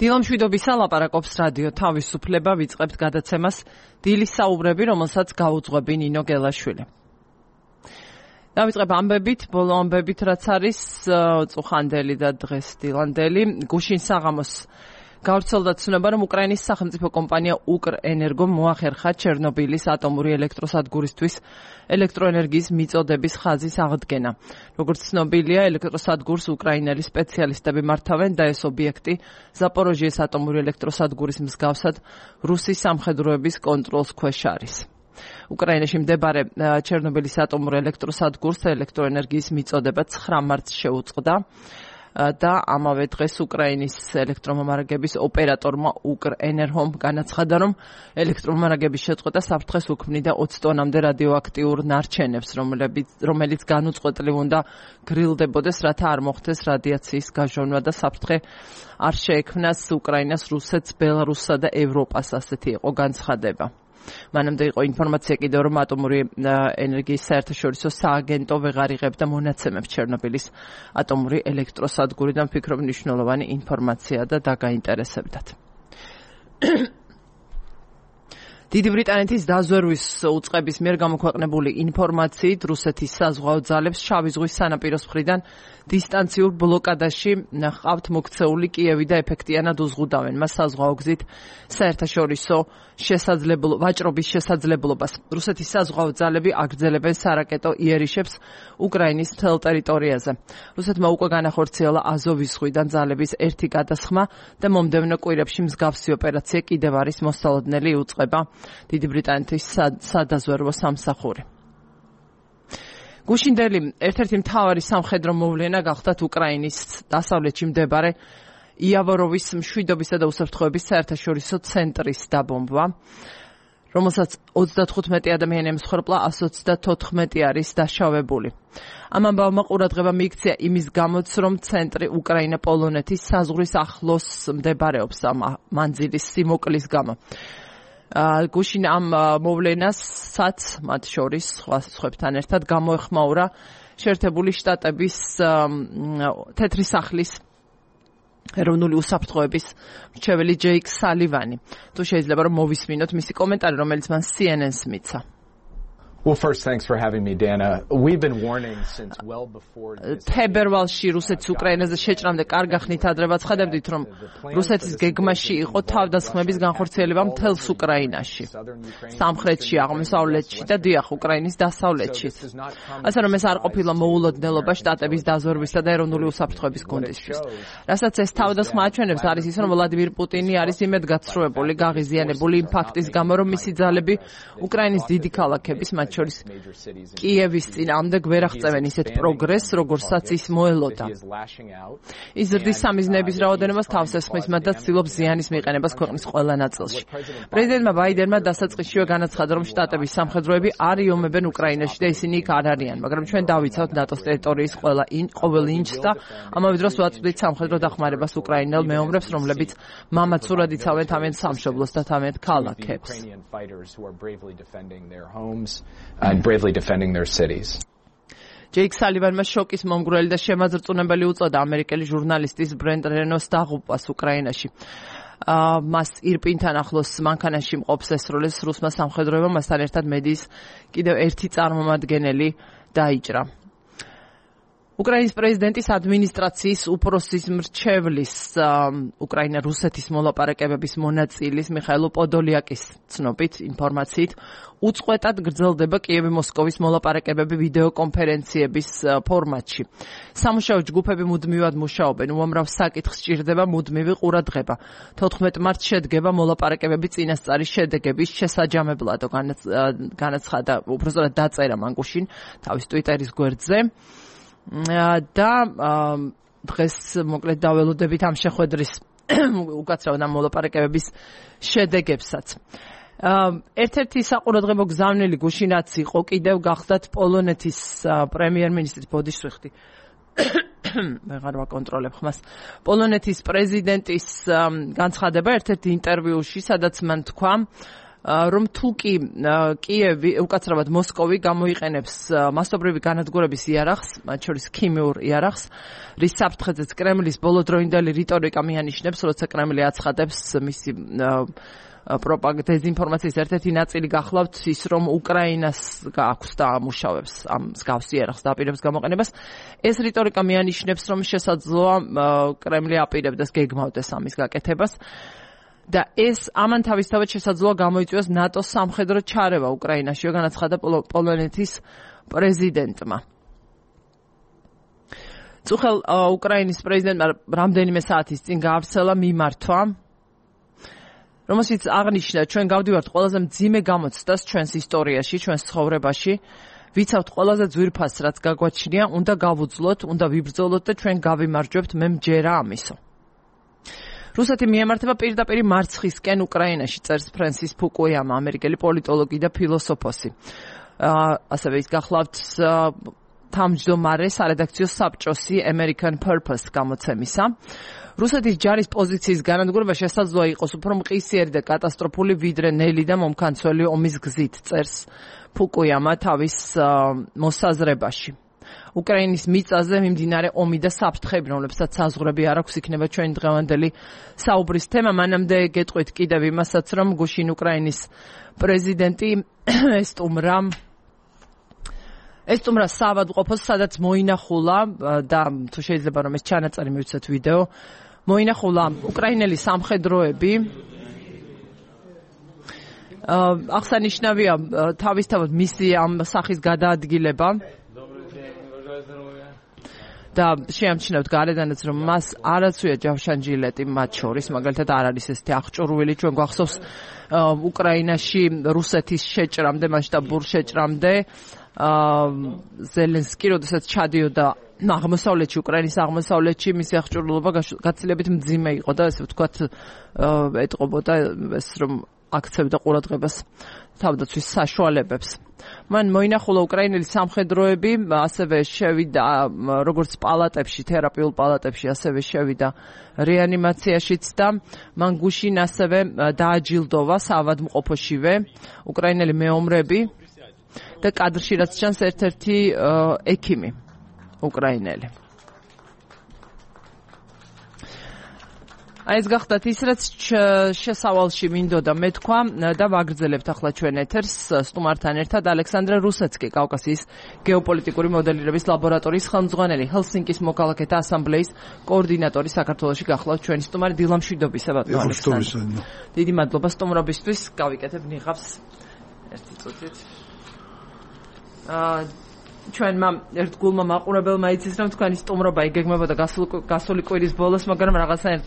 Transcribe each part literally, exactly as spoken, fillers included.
დილამშვიდობისა ლაპარაკობს რადიო თავისუფლება, ვიწყებთ გადაცემას დილის საუბრები, რომელსაც გაუძღვები ნინო გელაშვილი. დავიწყებ ამბებით, ბოლო ამბებით, რაც არის წუხანდელი და დღეს დილანდელი. გუშინ საღამოს გავრცელდა ცნობა, რომ უკრაინის სახელმწიფო კომპანია უკრენერგომ მოახერხა ჩერნობილის ატომური ელექტროსადგურისთვის ელექტროენერგიის მიწოდების ხაზის აღდგენა. როგორც ცნობილია, ელექტროსადგურს უკრაინელი სპეციალისტები მართავენ და ეს ობიექტი ზაპოროჟიეს ატომური ელექტროსადგურის მსგავსად რუსის სამხედროების კონტროლს ქვეშ არის. უკრაინაში მდებარე ჩერნობილის ატომურ ელექტროსადგურს ელექტროენერგიის მიწოდება ცხრა მარტს შეუწყდა და ამავე დღეს უკრაინის ელექტრომომარაგების ოპერატორმა უკრენერგომ განაცხადა, რომ ელექტრომომარაგების შეწყვეტა საფრთხეს უქმნიდა ოცი ტონამდე რადიოაქტიურ ნარჩენებს, რომელიც განუწყვეტლივ უნდა გრილდებოდეს, რათა არ მოხდეს რადიაციის გაჟონვა და საფრთხე არ შეექმნას უკრაინას, რუსეთს, ბელარუსსა და ევროპას, ასეთი იყო განცხადება. მანამდე იყო ინფორმაცია კიდევ, რომ ატომური ენერგიის საერთაშორისო სააგენტო ვეღარ იღებდა მონაცემებს ჩერნობილის ატომური ელექტროსადგურიდან, ვფიქრობ მნიშვნელოვანი ინფორმაცია და დაგაინტერესებდათ. დიდი ბრიტანეთის დაზვერვის უწყების მიერ გამოქვეყნებული ინფორმაციით, რუსეთის საზღვაო ძალებს შავი ზღვის სანაპიროს მხრიდან დისტანციურ ბლოკადაში ჰყავთ მოქცეული კიევი და ეფექტიანად უზღუდავენ მას საზღვაო გზით საერთაშორისო შესაძლებლობა ვაჭრობის შესაძლებლობას. რუსეთის საზღვაო ძალები აგრძელებენ სარაკეტო იერიშებს უკრაინის მთელ ტერიტორიაზე. რუსეთმა უკვე განახორციელა აზოვის ზღვიდან ძალების ერთი გადასხმა და მომდევნო კვირებში მსგავსი ოპერაცია კიდევ არის მოსალოდნელი, იუწყება დიდი ბრიტანეთის სადაზვერვო სამსახური. გუშინდელი ერთ-ერთი მთავარი სამხედრო მოვლენა გახდათ უკრაინის დასავლეთში მდებარე იავოროვის მშვიდობისა და უსაფრთხოების საერთაშორისო ცენტრის დაბომბვა, რომელსაც ოცდათხუთმეტი ადამიანი ემსხვერპლა, ასი ოცდათოთხმეტი არის დაშავებული. ამ ამბავმა ყურადღება მიიქცია იმის გამოც, რომ ცენტრი უკრაინა-პოლონეთის საზღვრის ახლოს მდებარეობს ამ მანძილის სიმოკლის გამო. გუშინ ამ მოვლენასაც, მათ შორის სხვა სხვებთან ერთად, გამოეხმაურა შეერთებული შტატების თეთრი სახლის ეროვნული უსაფრთხოების მრჩეველი ჯეიკ სალივანი. თუ შეიძლება რომ მოვისმინოთ მისი კომენტარი, რომელიც მან C N N-ს მიცა. Well, first, thanks for having me, Dana. We've been warning since well before this. თებერვალში რუსეთის უკრაინაზე შეჭრამდე კარგ ახნით ადრე ვაცხადებდით, რომ რუსეთის გეგმაში იყო თავდასხმების განხორციელება მთელს უკრაინაში, სამხრეთში, აღმოსავლეთში და დიახ, უკრაინის დასავლეთში. ასე რომ ეს არ ყოფილა მოულოდნელობა შტატების დაზვერვისა და ეროვნული უსაფრთხოების გუნდისთვის. რასაც ეს თავდასხმა აჩვენებს, არის ის, რომ ვლადიმირ პუტინი არის იმედგაცრუებული, გაღიზიანებული იმ ფაქტის გამო, რომ მისი ძალები უკრაინის დიდი ქალაქების, მათ შორის კიევის წინააღმდეგ ვერ აღწევენ ისეთ პროგრესს, როგორცაც ის მოელოდა. ის ზრდის სამიზნეების რაოდენობას თავს ესხმის და ცდილობს ზიანის მიყენებას ქვეყნის ყველა ნაწილში. პრეზიდენტმა ბაიდენმა დასაწყისშივე განაცხადა, რომ შტატების სამხედროები არ იომებენ უკრაინაში და ისინი იქ არ არიან, მაგრამ ჩვენ დავიცავთ ნატოს ტერიტორიის ყველა ყოველ ინჩს და ამავე დროს ვაწვდით სამხედრო დახმარებას უკრაინელ მეომრებს, რომლებიც მამაცურად იცავენ თავიანთ სამშობლოს და თავიანთ ქალაქებს. and bravely defending their cities. ჯეიკ სალივანმა შოკის მომგვრელი და შემაძრწუნებელი უწოდა ამერიკელი ჟურნალისტის ბრენდ რენოს დაღუპვას უკრაინაში. მას ირპინთან ახლოს მანქანაში მყოფს ესროლეს რუსმა სამხედროებმა, მასთან ერთად მედიის კიდევ ერთი წარმომადგენელი დაიჭრა. უკრაინის პრეზიდენტის ადმინისტრაციის უფროსის მრჩევლის უკრაინა-რუსეთის მოლაპარაკებების მონაწილის მიხაილ პოდოლიაკის ცნობით ინფორმაციით უწყვეტად გრძელდება კიევი-მოსკოვის მოლაპარაკებები ვიდეო კონფერენციების ფორმატში. სამუშაო ჯგუფები მუდმივად მუშაობენ, უამრავ საკითხს სჭირდება მუდმივი ყურადღება. თოთხმეტი მარტს შედგება მოლაპარაკებები წინასწარი შედეგების შესაჯამებლად, განაცხადა, უბრალოდ დაწერა მან გუშინ თავის ტვიტერის გვერდზე. და დღეს მოკლედ დაველოდებით ამ შეხვედრის უკაცრავად ამ მოლაპარაკებების შედეგებსაც. ერთ-ერთი საყურადღებო გზავნილი გუშინაც იყო კიდევ გახდათ პოლონეთის პრემიერ-მინისტრის ბოდიშვიხტი ვეღარ ვაკონტროლებ ხმას. პოლონეთის პრეზიდენტის განცხადება ერთ-ერთ ინტერვიუში, სადაც მან თქვა, რომ თუკი კიევი, უკაცრავად მოსკოვი გამოიყენებს მასობრივი განადგურების იარაღს, მათ შორის ქიმიურ იარაღს, რის საფრთხეზეც კრემლის ბოლოდროინდელი რიტორიკა მიანიშნებს, როცა კრემლი აცხადებს მისი პროპაგანდა დეзинფორმაციის ერთ-ერთი ნაწილი გახლავთ ის, რომ უკრაინას აქვს და ამუშავებს ამ მსგავს იარაღს და აპირებს გამოყენებას. ეს რიტორიკა მიანიშნებს, რომ შესაძლოა კრემლი აპირებდეს გეგმავდეს ამის გაკეთებას. და ეს ამან თავისთავად შესაძლოა გამოიწვიოს ნატოს სამხედრო ჩარევა უკრაინაში, განაცხადა პოლონეთის პრეზიდენტმა. წუხელ უკრაინის პრეზიდენტმა რამდენიმე საათის წინ გაავრცელა მიმართვა, რომელშიც აღნიშნა, ჩვენ გავდივართ ყველაზე მძიმე გამოცდას ჩვენს ისტორიაში, ჩვენს ცხოვრებაში, ვიცავთ ყველაზე ძვირფასს, რაც გაგვაჩნია, უნდა გავუძლოთ, უნდა ვიბრძოლოთ და ჩვენ გავიმარჯვებთ, მე მჯერა ამისო. რუსეთი მიემართება პირდაპირ მარცხისკენ უკრაინაში, წერს ფრენსის ფუკუიამა, ამერიკელი პოლიტოლოგი და ფილოსოფოსი. ასევე ის გახლავთ თავმჯდომარე სარედაქციო საბჭოსი American Purpose გამოცემისა. რუსეთის ჯარის პოზიციის განადგურება შესაძლოა იყოს უფრო მყისიერი და კატასტროფული, ვიდრე ნელი და მომქანცველი ომის გზით, წერს ფუკუიამა თავის მოსაზრებაში. უკრაინის მიწაზე მიმდინარე ომი და საფრთხეები, რომლებსაც საზღვრები არ აქვს, იქნება ჩვენი დღევანდელი საუბრის თემა. მანამდე გეტყვით კიდევ იმასაც, რომ გუშინ უკრაინის პრეზიდენტი ესტუმრა ესტუმრა საავადმყოფოს, სადაც მოინახულა და თუ შეიძლება რომ ეს ჩანაწერი მივცეთ ვიდეო, მოინახულა უკრაინელი სამხედროები. აღსანიშნავია თავისთავად მისი ამ სახის გადაადგილება. და შეამჩნევთ გარედანაც, რომ მას არაცვია ჯავშანჯილეტი მათ შორის, მაგალითად არ არის ესეთი აღჭურვილი, ჩვენ გვახსოვს უკრაინაში რუსეთის შეჭრამდე, მასშტაბურ შეჭრამდე, ზელენსკი, როდესაც ჩადიოდა აღმოსავლეთში, უკრაინის აღმოსავლეთში, მისი აღჭურვილობა გაცილებით მძიმე იყო და ესე ვთქვათ, ეტყობოდა ეს, რომ აქცევდა ყურადღებას თავდაცვის საშუალებებს. მან მოინახულა უკრაინელი სამხედროები, ასევე შევიდა როგორც პალატებში, თერაპიულ პალატებში, ასევე შევიდა რეანიმაციაშიც და მან გუშინ ასევე დააჯილდოვა საავადმყოფოშივე უკრაინელი მეომრები და კადრში რაც ჩანს ერთ-ერთი ექიმი უკრაინელი. აი ეს გახდათ ის, რაც შესავალში მინდოდა მეთქვა და ვაგრძელებთ ახლა ჩვენ ეთერს სტუმართან ერთად. ალექსანდრე რუსეცკი, კავკასიის გეოპოლიტიკური მოდელირების ლაბორატორიის ხელმძღვანელი, ჰელსინკის მოქალაქეთა ასამბლეის კოორდინატორი საქართველოში გახლავთ ჩვენი სტუმარი. დილა მშვიდობისა, ბატონო ალექსანდრე. დიდი მადლობა სტუმრობისთვის. გავიკეთებ ნიღავს ერთი წუთით. აა ჩვენმა ერთგულმა მაყურებელმა იცის, რომ თქვენი სტუმრობა იგეგმებოდა გასული კვირის ბოლოს, მაგრამ რაღაცნაირად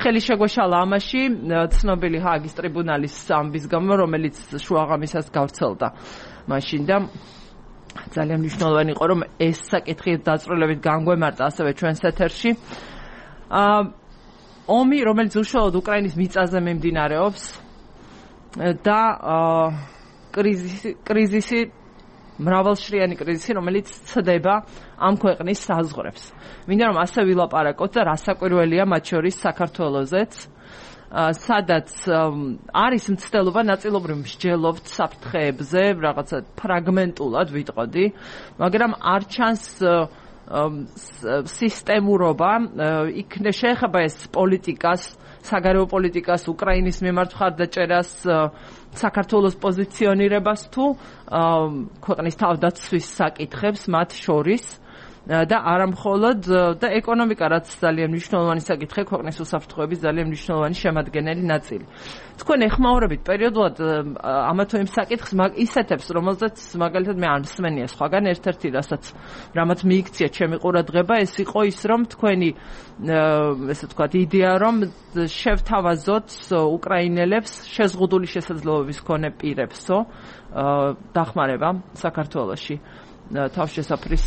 ხელი შეგვეშალა ამაში, ცნობილი ჰააგის ტრიბუნალის ამბის გამო, რომელიც შუაღამისას გავრცელდა მაშინ და ძალიან მნიშვნელოვანი იყო, რომ ეს საკითხი დაწვრილებით განგვემართა ასევე ჩვენს ეთერში. ომი, რომელიც უშუალოდ უკრაინის მიწაზე მიმდინარეობს და კრიზისი კრიზისი მრავალშრიანი კრიზისი, რომელიც ცდება ამ ქვეყნის საზღვრებს. მინდა რომ ასე ვილაპარაკოთ და რასაკვირველია მათ შორის საქართველოზეც, სადაც არის მცდელობა ნაწილობრივ მსჯელობთ საფრთხეებზე, რაღაცა ფრაგმენტულად ვიტყოდი, მაგრამ არ ჩანს სისტემურობა, იქნე შეეხება ეს პოლიტიკას, საგარეო პოლიტიკას, უკრაინის მიმართ მხარდაჭერას, საქართველოს პოზიციონირებას თუ ქვეყნის თავდაცვის საკითხებს მათ შორის და არამხოლოდ და ეკონომიკა, რაც ძალიან მნიშვნელოვანი საკითხია, ქვეყნის უსაფრთხოების ძალიან მნიშვნელოვანი შემადგენელი ნაწილი. თქვენ ეხმაურებით პერიოდულად ამა თუ იმ საკითხს ისეთებს, რომელზეც მაგალითად მე არ მსმენია სხვაგან, ერთ-ერთი რასაც რამაც მიიქცია ჩემი ყურადღება, ეს იყო ის, რომ თქვენი ესე ვთქვათ იდეა, რომ შევთავაზოთ უკრაინელებს შეზღუდული შესაძლებლობების მქონე პირებსო დახმარება საქართველოში თავშესაფრის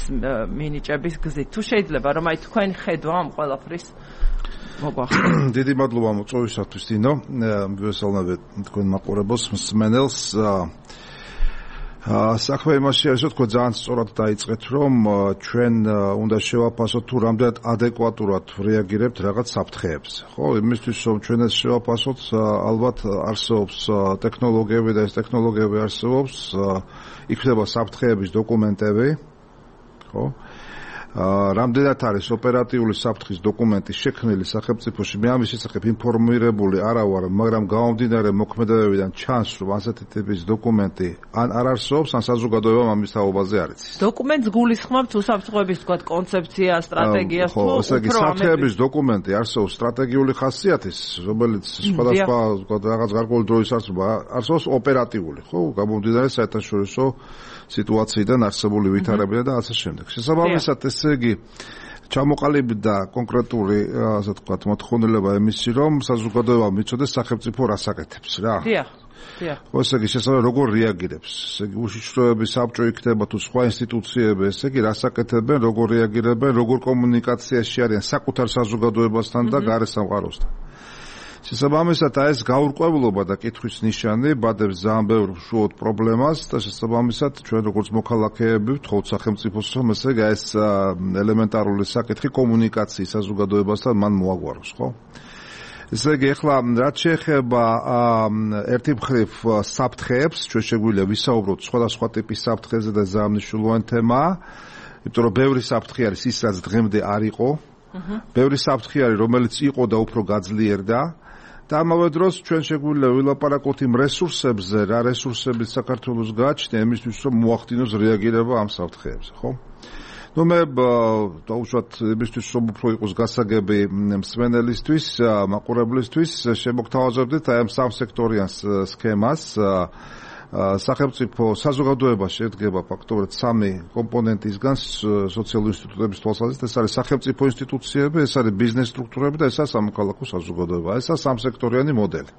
მინიჭების გზით. თუ შეიძლება რომ აი თქვენ ხედვა ამ ყველაფრის მოგვახსენოთ. დიდი მადლობა მოწვევისათვის, დინო. მივესალმებით თქვენ მაყურებელს, მსმენელს. საქმე იმაში არის, რომ თქვენ ძალიან სწორად დაიწყეთ, რომ ჩვენ უნდა შევაფასოთ თუ რამდენად ადეკვატურად რეაგირებთ რაღაც საფრთხეებზე. ხო, იმისთვის რომ ჩვენ ეს შევაფასოთ, ალბათ არსებობს ტექნოლოგიები და ეს ტექნოლოგიები არსებობს, იქნება საფრთხეების დოკუმენტები, ხო? რამდენად არის ოპერატიული საფრთხის დოკუმენტი შექმნილი სახელმწიფოში, მე ამის შესახებ ინფორმირებული არა ვარ, მაგრამ გამომდინარე მოქმედებებიდან ჩანს, რომ ასეთი ტიპის დოკუმენტი ან არ არსებობს, ან საზოგადოებამ ამის თაობაზე არ იცის. დოკუმენტს გულისხმობთ თუ საფრთხეების თქვა კონცეფცია, სტრატეგია, თუ უფრო საფრთხეების დოკუმენტი არსებობს სტრატეგიული ხასიათის, რომელიც სხვადასხვა რაღაც გარკვეული დროის არსება არსებობს ოპერატიული, ხო, გამომდინარე საერთაშორისო სიტუაციიდან არსებული ვითარებიდან და ასე შემდეგ. შესაბამისად ეს იგი ჩამოყალიბდა კონკრეტული, ასე ვთქვათ, მოთხოვნილება იმისი, რომ საზოგადოება მიცოდეს სახელმწიფო რას აკეთებს რა. დიახ, დიახ. ესე იგი შესაძლოა როგორ რეაგირებს. ესე იგი უშიშროების საბჭო იქნება თუ სხვა ინსტიტუციები, ესე იგი რას აკეთებენ, როგორ რეაგირებენ, როგორ კომუნიკაციაში არიან საკუთარ საზოგადოებასთან და გარე სამყაროსთან. შესაბამისად ეს გაურკვევლობა და კითხვის ნიშანი ბადებს ძალიან ბევრ უშუალოდ პრობლემას და შესაბამისად ჩვენ როგორც მოქალაქეები ვთხოვთ სახელმწიფოს რომ ესე იგი ეს ელემენტარული საკითხი კომუნიკაციის საზოგადოებასთან მან მოაგვაროს, ხო? ესე იგი ახლა რაც შეეხება ერთი მხრივ საფრთხეებს, ჩვენ შეგვიძლია ვისაუბროთ სხვადასხვა ტიპის საფრთხეზე და ძალიან მნიშვნელოვანი თემაა, იმიტომ რომ ბევრი საფრთხე არის ის, რაც დღემდე არ იყო. ბევრი საფრთხე არის, რომელიც იყო და უფრო გაძლიერდა. და ამავე დროს ჩვენ შეგვიძლია ვილაპარაკოთ იმ რესურსებზე, რა რესურსებით საქართველოს გააჩნია იმისთვის, რომ მოახდინოს რეაგირება ამ საფრთხეებზე, ხო? ნუ მე დაუშვათ იმისთვის, რომ უფრო იყოს გასაგები მსმენელისთვის, მაყურებლისთვის, შემოგთავაზებდით აი ამ სამსექტორიან სქემას. სახელმწიფო საზოგადოება შედგება ფაქტობრივად სამი კომპონენტისგან სოციალური ინსტიტუტების თვალსაზრისით, ეს არის სახელმწიფო ინსტიტუციები, ეს არის ბიზნეს სტრუქტურები და ესაა სამოქალაქო საზოგადოება. ესაა სამსექტორიანი მოდელი.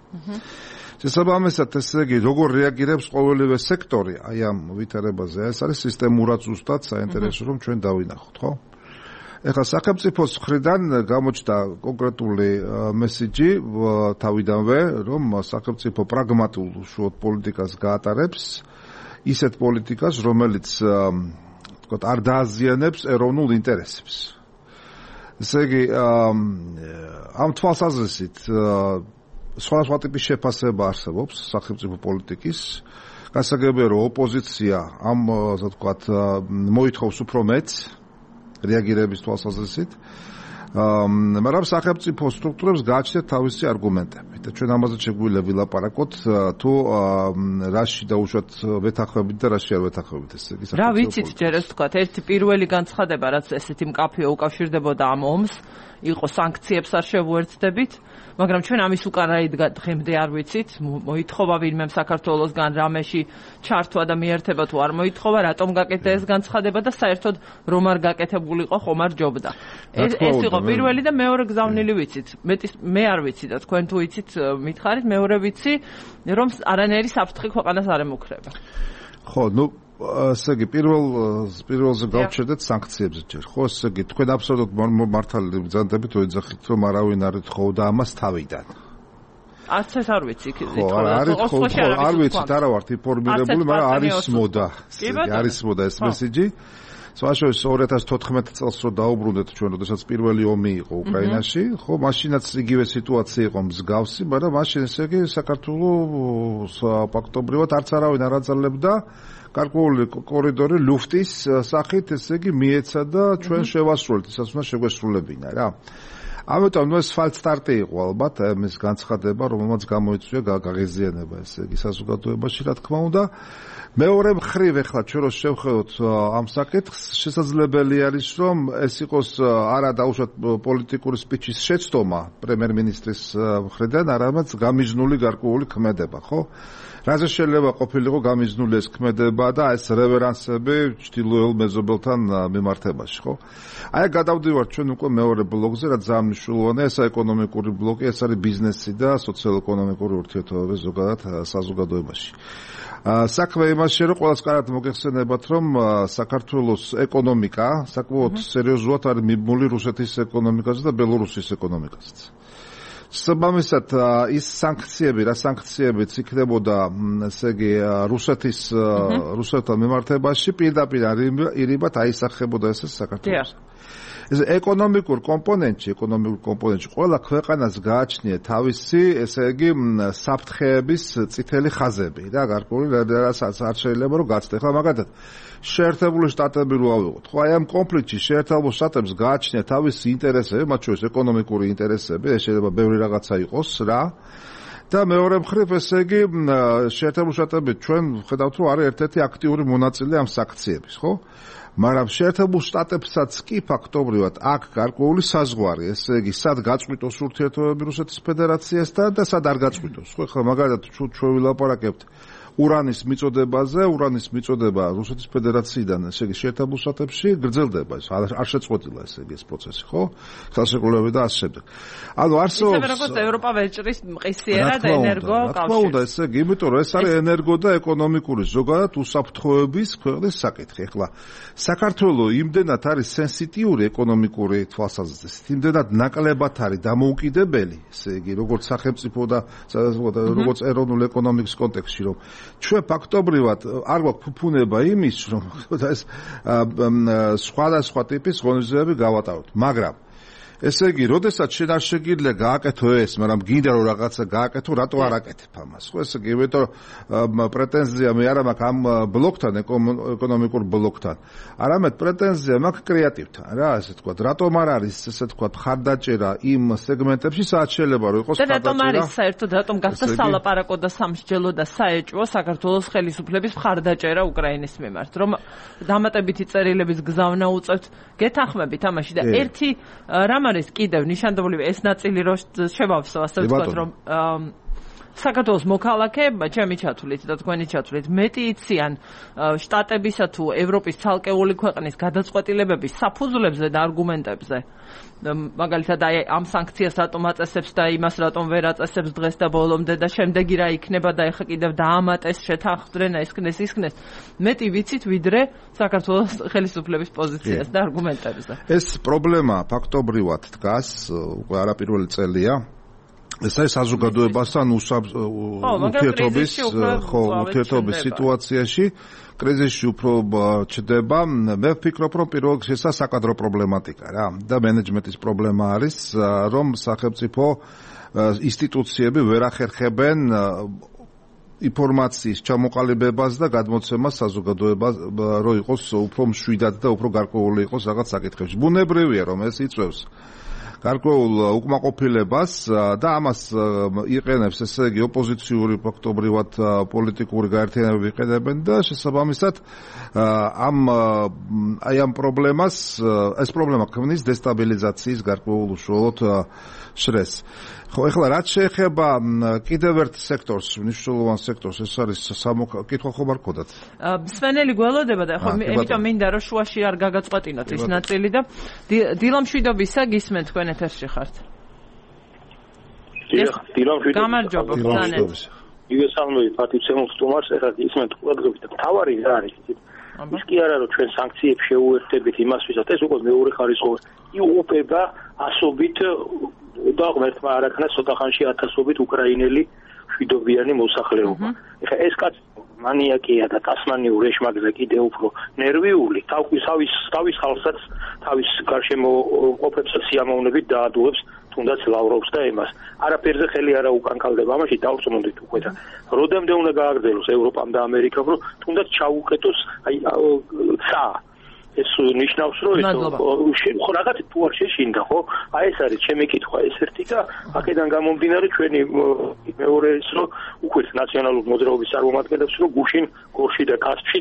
შესაბამისად, ესე იგი, როგორ რეაგირებს ყოველივე სექტორი აი ამ ვითარებაზე, ეს არის სისტემურად ზუსტად საინტერესო, რომ ჩვენ დავინახოთ, ხო? ეხლა სახელმწიფოს მხრიდან გამოჩნდა კონკრეტული მესიჯი თავიდანვე, რომ სახელმწიფო პრაგმატულ უშუალოდ პოლიტიკას გაატარებს, ისეთ პოლიტიკას, რომელიც თქო არ დააზიანებს ეროვნულ ინტერესებს. ესე იგი, ამ თვალსაზრისით სხვადასხვა ტიპის შეფასება არსებობს სახელმწიფო პოლიტიკის. გასაგებია, რომ ოპოზიცია ამ, ასე ვთქვათ, მოითხოვს უფრო მეტს რეაგირების თვალსაზრისით, მაგრამ სახელმწიფო სტრუქტურებს გააჩნიათ თავისი არგუმენტები და ჩვენ ამაზე შეგვიძლია ვილაპარაკოთ თუ რაში დაუშვათ ვეთანხმებით და რაში არ ვეთანხმებით. ესე იგი, რა ვიცით ჯერ ეს ვთქვათ, ერთი პირველი განცხადება, რაც ესეთი მკაფიო უკავშირდებოდა ამ ომს, იყო სანქციებს არ შევუერთდებით, მაგრამ ჩვენ ამის უკანაით დღემდე არ ვიცით, მოითხოვა ვინმემ საქართველოსგან რამეში ჩართვა და მიერთება თუ არ მოითხოვა, რატომ გაკეთდა ეს განცხადება და საერთოდ რომ არ გაკეთებულიყო ხომ არ ჯობდა. ეს ეს იყო პირველი და მეორე გზავნილი ვიცით. მეტის მე არ ვიცი და თქვენ თუ იცით მითხარით, მეორე ვიცი, რომ არანაირი საფრთხე ქვეყანას არ ემუქრება. ხო, ნუ ესე იგი პირველ პირველზე გავჩერდეთ სანქციებზე ჯერ. ხო, ესე იგი თქვენ აბსოლუტურად მართალი ბრძანდებით რომ ეძახით რომ არავინ არ ეთხოვდა ამას თავიდან. არც ეს არ ვიცი იქ ითხოვა. არ ვიცით, არა ვართ ინფორმირებული, მაგრამ არის მოდა. არის მოდა ეს მესიჯი. საშუალო ორი ათას თოთხმეტ წელს რო დაუბრუნდეთ ჩვენ, როდესაც პირველი ომი იყო უკრაინაში, ხო, მაშინაც იგივე სიტუაცია იყო მსგავსი, მაგრამ მაშინ ესე იგი საქართველოს ფაქტობრივად არც არავინ არ აძლებდა გარკვეული კორიდორი ლუფტის სახით, ესე იგი მიეცა და ჩვენ შევასრულეთ, ისაც უნდა შეგვესრულებინა რა. ამიტომ ნუ ეს ფალსტარტი იყო ალბათ ამის განცხადება, რომელმაც გამოიწვია გაღიზიანება, ესე იგი საზოგადოებაში, რა თქმა უნდა. მეორე მხრივ ახლა ჩვენ რო შევხედოთ ამ საკითხს, შესაძლებელი არის რომ ეს იყოს არა დაუშვათ პოლიტიკური სპიჩის შეცდომა პრემიერ-მინისტრის მხრიდან, არამედ გამიზნული გარკვეული ქმედება, ხო? რაზე შეიძლება ყოფილიყო გამიზნული ეს ქმედება და ეს რევერანსები ჩtildeოელ მეზობელთან მიმართებაში, ხო? აი გადავდივართ ჩვენ უკვე მეორე ბლოკზე, რაც ძალიან მნიშვნელოვანია, ეს ეკონომიკური ბლოკი, ეს არის ბიზნესი და სოციალ-ეკონომიკური ურთიერთობები ზოგადად საზოგადოებაში. საქმე იმაშია, რომ ყველას კარგად მოგეხსენებათ, რომ საქართველოს ეკონომიკა საკმაოდ სერიოზულად არის მიბმული რუსეთის ეკონომიკაზე და ბელორუსის ეკონომიკაზეც. საბამისად ის სანქციები, რა სანქციებიც იქნებოდა, ესე იგი, რუსეთის რუსეთთან მიმართებაში პირდაპირ ირიბად აისახებოდა ესე საქართველოს. ეს ეკონომიკურ კომპონენტში, ეკონომიკურ კომპონენტში ყველა ქვეყანას გააჩნია თავისი, ესე იგი, საფრთხეების წითელი ხაზები რა, გარკვეული რასაც არ შეიძლება რომ გაცდე. ხო, მაგალითად, შეერთებული შტატები რო ავიღოთ. ხო, აი ამ კონფლიქტში შეერთებულ შტატებს გააჩნია თავისი ინტერესები, მათ შორის ეკონომიკური ინტერესები, ეს შეიძლება ბევრი რაღაცა იყოს რა. და მეორე მხრივ, ესე იგი, შეერთებული შტატები ჩვენ ხედავთ, რომ არის ერთ-ერთი აქტიური მონაწილე ამ საქციების, ხო? მაგრამ შეერთებულ შტატებსაც კი ფაქტობრივად აქ გარკვეული საზღვარი, ესე იგი, სად გაწყვიტოს ურთიერთობები რუსეთის ფედერაციასთან და სად არ გაწყვიტოს. ხო, ხა მაგალითად ჩვენ ვილაპარაკებთ ურანის მიწოდებაზე, ურანის მიწოდება რუსეთის ფედერაციიდან, ესე იგი, შეერთებულ შტატებში გრძელდება, ეს არ შეწყვეტილა, ესე იგი, ეს პროცესი, ხო? ხელშეკრულებები და ასე შემდეგ. ანუ არსებობს ისე როგორც ევროპა ვეჭრის მყისიერად ენერგო კავშირს. რა თქმა უნდა, ესე იგი, იმიტომ რომ ეს არის ენერგო და ეკონომიკური ზოგადად უსაფრთხოების ქვეყნის საკითხი. ეხლა საქართველოს იმდენად არის სენსიტიური ეკონომიკური თვალსაზრისით, იმდენად ნაკლებად არის დამოუკიდებელი, ესე იგი, როგორც სახელმწიფო და როგორც ეროვნული ეკონომიკის კონტექსტში, რომ ჩვენ ფაქტობრივად არ გვაქვს ფუფუნება იმის, რომ ეს სხვადასხვა ტიპის ღონისძიებები გავატაროთ, მაგრამ ესე იგი, როდესაც შენ არ შეგიძლია გააკეთო ეს, მაგრამ გინდა რომ რაღაცა გააკეთო, რატო არ აკეთებ ამას? ხო, ესე იგი, იმიტომ რომ პრეტენზია მე არ მაქვს ამ ბლოკთან, ეკონომიკურ ბლოკთან. არამედ პრეტენზია მაქვს კრეატივთან, რა, ასე თქვა. რატომ არ არის, ესე თქვა, ხარდაჭერა იმ სეგმენტებში, სადაც შეიძლება რომ იყოს ხარდაჭერა? და რატომ არის საერთოდ, რატომ გახდა სალაპარაკო და სამსჯელო და საეჭვო საქართველოს ხელისუფლების ხარდაჭერა უკრაინის მიმართ, რომ დამატებითი წერილების გზავნა უწევთ, გეთანხმებით ამაში და ერთი რამ არის კიდევ ნიშანდობლივი ეს ნაწილი რო შევავსო, ასე ვთქვათ, რომ საქართველოს მოქალაქეებმა, ჩემი ჩათვლით და თქვენი ჩათვლით, მეტი იციან შტატებისა თუ ევროპის ცალკეული ქვეყნის გადაწყვეტილებების საფუძვლებზე და არგუმენტებზე. მაგალითად, აი ამ სანქციას რატომ აწესებს და იმას რატომ ვერ აწესებს დღეს და ბოლომდე და შემდეგი რა იქნება და ეხა კიდევ დაამატეს, შეთანხმდნენ, ისქნეს, ისქნეს. მეტი ვიცით ვიდრე საქართველოს ხელისუფლების პოზიციას და არგუმენტებზე. ეს პრობლემა ფაქტობრივად დგას, უკვე არაპირველი წელია. ეს არის საზოგადოებასთან ურთიერთობის, ხო, ურთიერთობის სიტუაციაში, კრიზისში უფრო ჩდება. მე ვფიქრობ, რომ პირველ რიგში საკადრო პრობლემატიკა რა და მენეჯმენტის პრობლემა არის, რომ სახელმწიფო ინსტიტუციები ვერ ახერხებენ ინფორმაციის ჩამოყალიბებას და გადმოცემას საზოგადოებას, რომ იყოს უფრო მშვიდად და უფრო გარკვეული იყოს რაღაც საკითხებში. ბუნებრივია, რომ ეს იწვევს გარკვეულ უკმაყოფილებას და ამას იყენებს, ესე იგი, ოპოზიციური ფაქტობრივად პოლიტიკური გაერთიანებები იყენებენ და შესაბამისად ამ აი ამ პრობლემას, ეს პრობლემა ქმნის დესტაბილიზაციის გარკვეულ უშუალოდ შრეს. ხო, ეხლა რაც შეეხება კიდევ ერთ სექტორს, მნიშვნელოვან სექტორს, ეს არის სამოკითხვა ხომ არ გქონდათ? სვენელი გველოდება და ხო, იმიტომ მინდა რომ შუაში არ გაგაწყვეტინოთ ის ნაწილი და დილამშვიდობისა გისმენთ თქვენ ეთერში ხართ. დილამშვიდობისა. გამარჯობა, ბრძანეთ. იგესალმები პატივცემულ სტუმარს, ეხლა გისმენთ ყველგან და თავარი რა არის იცით? ის კი არა რომ ჩვენ სანქციებს შეუერთდებით იმას ვისაც ეს უკვე მეორე ხარისხოვანი იუპება ასობით და ღმერთმა არაქნა ცოტა ხანში ათასობით უკრაინელი მშვიდობიანი მოსახლეობა. ეხლა ეს კაცი მანიაკია და ტასმანიურ ეშმაკზე კიდე უფრო ნერვიული, თავის თავის ხალხსაც, თავის გარშემო ყოფებსაც სიამოვნებით დაადუებს, თუნდაც ლავროვს და ემას. არაფერზე ხელი არა უკანკალდება, ამაში დავწმუნდით უკვე და როდემდე უნდა გააგრძელოს ევროპამ და ამერიკამ, რომ თუნდაც ჩაუკეტოს აი ცა ეს ნიშნავს, რომ ეს ხო რაღაც თუ არ შეშინდა, ხო? აი ეს არის ჩემი კითხვა ეს ერთი და აქედან გამომდინარე ჩვენი მეორე ის რომ უკვე ნაციონალურ მოძრაობის წარმომადგენლებს რომ გუშინ გორში და კასპში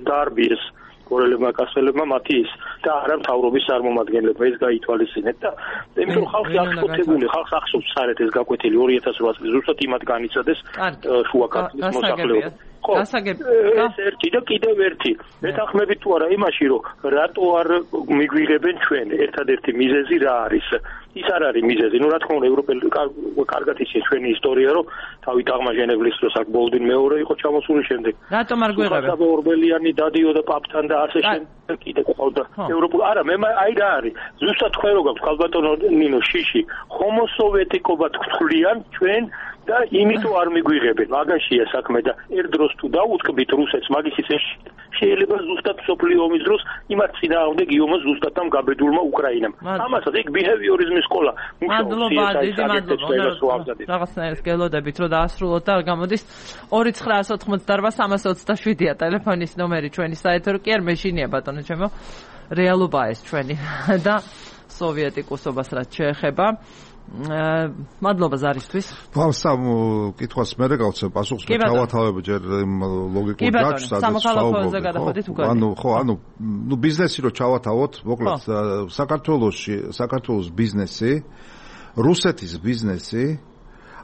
დაარბიეს გორელებმა კასელებმა მათი ის და არა მთავრობის წარმომადგენლებმა ეს გაითვალისწინეთ და იმიტომ რომ ხალხი აღშფოთებული, ხალხს ახსოვს საერთოდ ეს გაკვეთილი ორი ათას ოთხ წლის ზუსტად იმად განიცადეს შუა კასპის მოსახლეობა. გასაგებ ეს ერთი და კიდევ ერთი მეთანხმებით თუ არა იმაში რომ რატო არ მიგვიღებენ ჩვენ ერთადერთი მიზეზი რა არის ის არ არის მიზეზი. ნუ რა თქმა უნდა, ევროპელი კარგად იცის ჩვენი ისტორია, რომ თავით აღმაჟენებლის დროს აქ ბოლდინ მეორე იყო ჩამოსული, შემდეგ რატომ არ გვიღებენ? საბა ორბელიანი დადიოდა პაპთან და ასე შემდეგ კიდე ყავდა ევროპულ. არა, მე აი რა არის. ზუსტად თქვენ რო გაქვთ ქალბატონო ნინო შიში, ჰომოსოვიეტიკობა თქვლიან ჩვენ და იმიტომ არ მიგვიღებენ. მაგაშია საქმე და ერთ დროს თუ დაუწყბით რუსეთს მაგის ისე შეიძლება ზუსტად სოფლიო ომის დროს იმათ წინააღმდეგ იომოს ზუსტად ამ გაბედულმა უკრაინამ. ამასაც იქ ბიჰევიორიზმის სკოლა მადლობა, დიდი მადლობა. რაღაცნაირად გელოდებით რომ დაასრულოთ და გამოდის ორი ცხრაას ოთხმოცდაარბა სამას ოცდაშვიდია ტელეფონის ნომერი ჩვენი საეთერო კი არ მეშინია ბატონო ჩემო. რეალობაა ეს ჩვენი და სოვიეტიკოსობას რაც შეეხება. მადლობა ზარისთვის. სამ კითხვას მე გავცემ პასუხს, მე ჩავათავებ ჯერ ლოგიკურ გაჩვენას. სამოქალაქოზე გადაходით უკან. ანუ ხო, ანუ ნუ ბიზნესი რო ჩავათავოთ, მოკლედ საქართველოში, საქართველოს ბიზნესი, რუსეთის ბიზნესი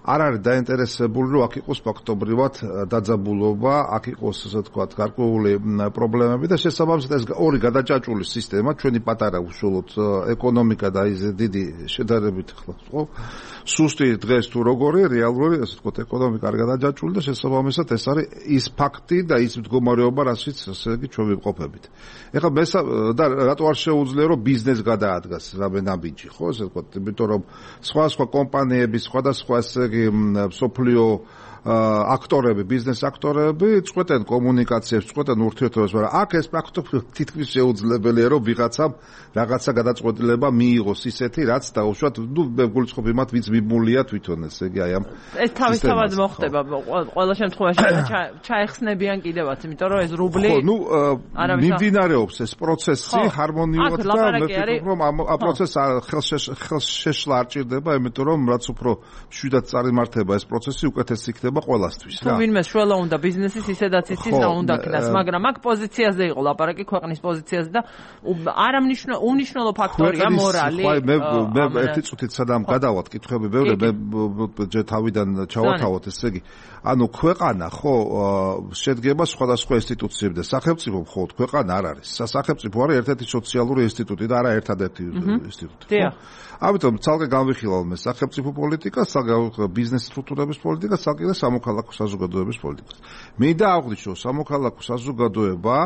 არ არის დაინტერესებული, რომ აქ იყოს ფაქტობრივად დაძაბულობა, აქ იყოს ასე ვთქვათ, გარკვეული პრობლემები და შესაბამისად ეს ორი გადაჭაჭული სისტემა, ჩვენი პატარა უშუალოდ ეკონომიკა და ის დიდი შედარებით ხო, სუსტი დღეს თუ როგორი, რეალური ასე ვთქვათ, ეკონომიკა არ გადაჭაჭული და შესაბამისად ეს არის ის ფაქტი და ის მდგომარეობა, რასაც ასე იგი ჩვენ ვიმყოფებით. ეხლა მე და რატო არ შეუძლია, რომ ბიზნეს გადაადგას რამე ნაბიჯი, ხო, ასე ვთქვათ, იმიტომ რომ სხვა სხვა კომპანიები, სხვადასხვა ესე სოფლიო აქტორები, ბიზნეს აქტორები წყვეტენ კომუნიკაციებს, წყვეტენ ურთიერთობებს, მაგრამ აქ ეს პრაქტიკულად თითქმის შეუძლებელია, რომ ვიღაცამ რაღაცა გადაწყვეტილება მიიღოს ისეთი, რაც დაუშვათ, ნუ მე გულისხმობ იმათ, ვინც მიმულია თვითონ, ესე იგი აი ამ ეს თავისთავად მოხდება ყველა შემთხვევაში ჩაეხსნებიან კიდევაც, იმიტომ რომ ეს რუბლი ხო, ნუ მიმდინარეობს ეს პროცესი ჰარმონიულად და მე ვფიქრობ, რომ ამ პროცესს ხელშეშლა არ ჭირდება, იმიტომ რომ რაც უფრო მშვიდად წარიმართება ეს პროცესი, უკეთესი იქნება ყველასთვის რა. თუ ვინმე შველა უნდა ბიზნესის ისედაც იცის რა უნდა ქნას, მაგრამ აქ პოზიციაზე იყო ლაპარაკი ქვეყნის პოზიციაზე და არამნიშნო უნიშნელო ფაქტორია მორალი. ხო, მე მე ერთი წუთით სადამ გადავალთ კითხვები ბევრი, მე ჯერ თავიდან ჩავათავოთ, ესე იგი, ანუ ქვეყანა ხო შედგება სხვადასხვა ინსტიტუციებიდან და სახელმწიფო მხოლოდ ქვეყანა არ არის. სახელმწიფო არის ერთ-ერთი სოციალური ინსტიტუტი და არა ერთადერთი ინსტიტუტი. ხო? ამიტომ ცალკე განვიხილავ მე სახელმწიფო პოლიტიკას, ცალკე ბიზნეს სტრუქტურების პოლიტიკას, ცალკე და სამოქალაქო საზოგადოების პოლიტიკას. მინდა აღვნიშნო, სამოქალაქო საზოგადოება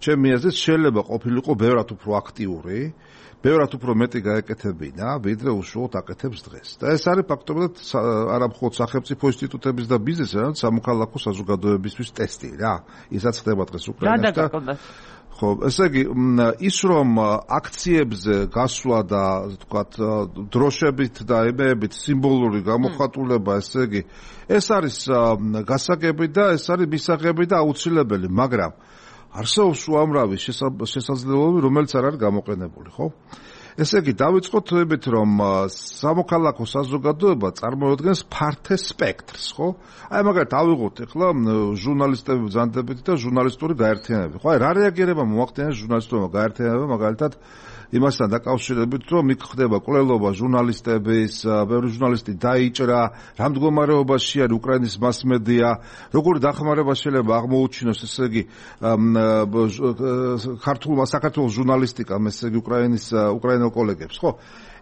ჩემი აზრით შეიძლება ყოფილიყო ბევრად უფრო აქტიური, ბევრად უფრო მეტი გაეკეთებინა, ვიდრე უშუალოდ აკეთებს დღეს. და ეს არის ფაქტობრივად არა მხოლოდ სახელმწიფო ინსტიტუტების და ბიზნესის, არამედ სამოქალაქო საზოგადოებისთვის ტესტი რა. ისაც ხდება დღეს უკრაინაში და ხო, ესე იგი, ის რომ აქციებზე გასვლა და თქვათ დროშებით და ემეებით სიმბოლური გამოხატულება, ესე იგი, ეს არის გასაგები და ეს არის მისაღები და აუცილებელი, მაგრამ არსებობს უამრავი შესაძლებლობები, რომელიც არ არის გამოყენებული, ხო? ესე იგი, დავიწყოთ იმით, რომ სამოქალაქო საზოგადოება წარმოადგენს ფართე სპექტრს, ხო? აი, მაგალითად, ავიღოთ ახლა ჟურნალისტები ბრძანდებით და ჟურნალისტური გაერთიანებები. ხო, აი, რა რეაგირება მოახდინეს ჟურნალისტურმა გაერთიანებამ, მაგალითად, იმასთან დაკავშირებით, რომ იქ ხდება კვლელობა ჟურნალისტების, ბევრი ჟურნალისტი დაიჭრა, რა მდგომარეობაში არის უკრაინის მასმედია, როგორი დახმარება შეიძლება აღმოუჩინოს, ესე იგი, ქართულმა საქართველოს ჟურნალისტიკამ, ესე იგი, უკრაინის უკრაინელ კოლეგებს, ხო?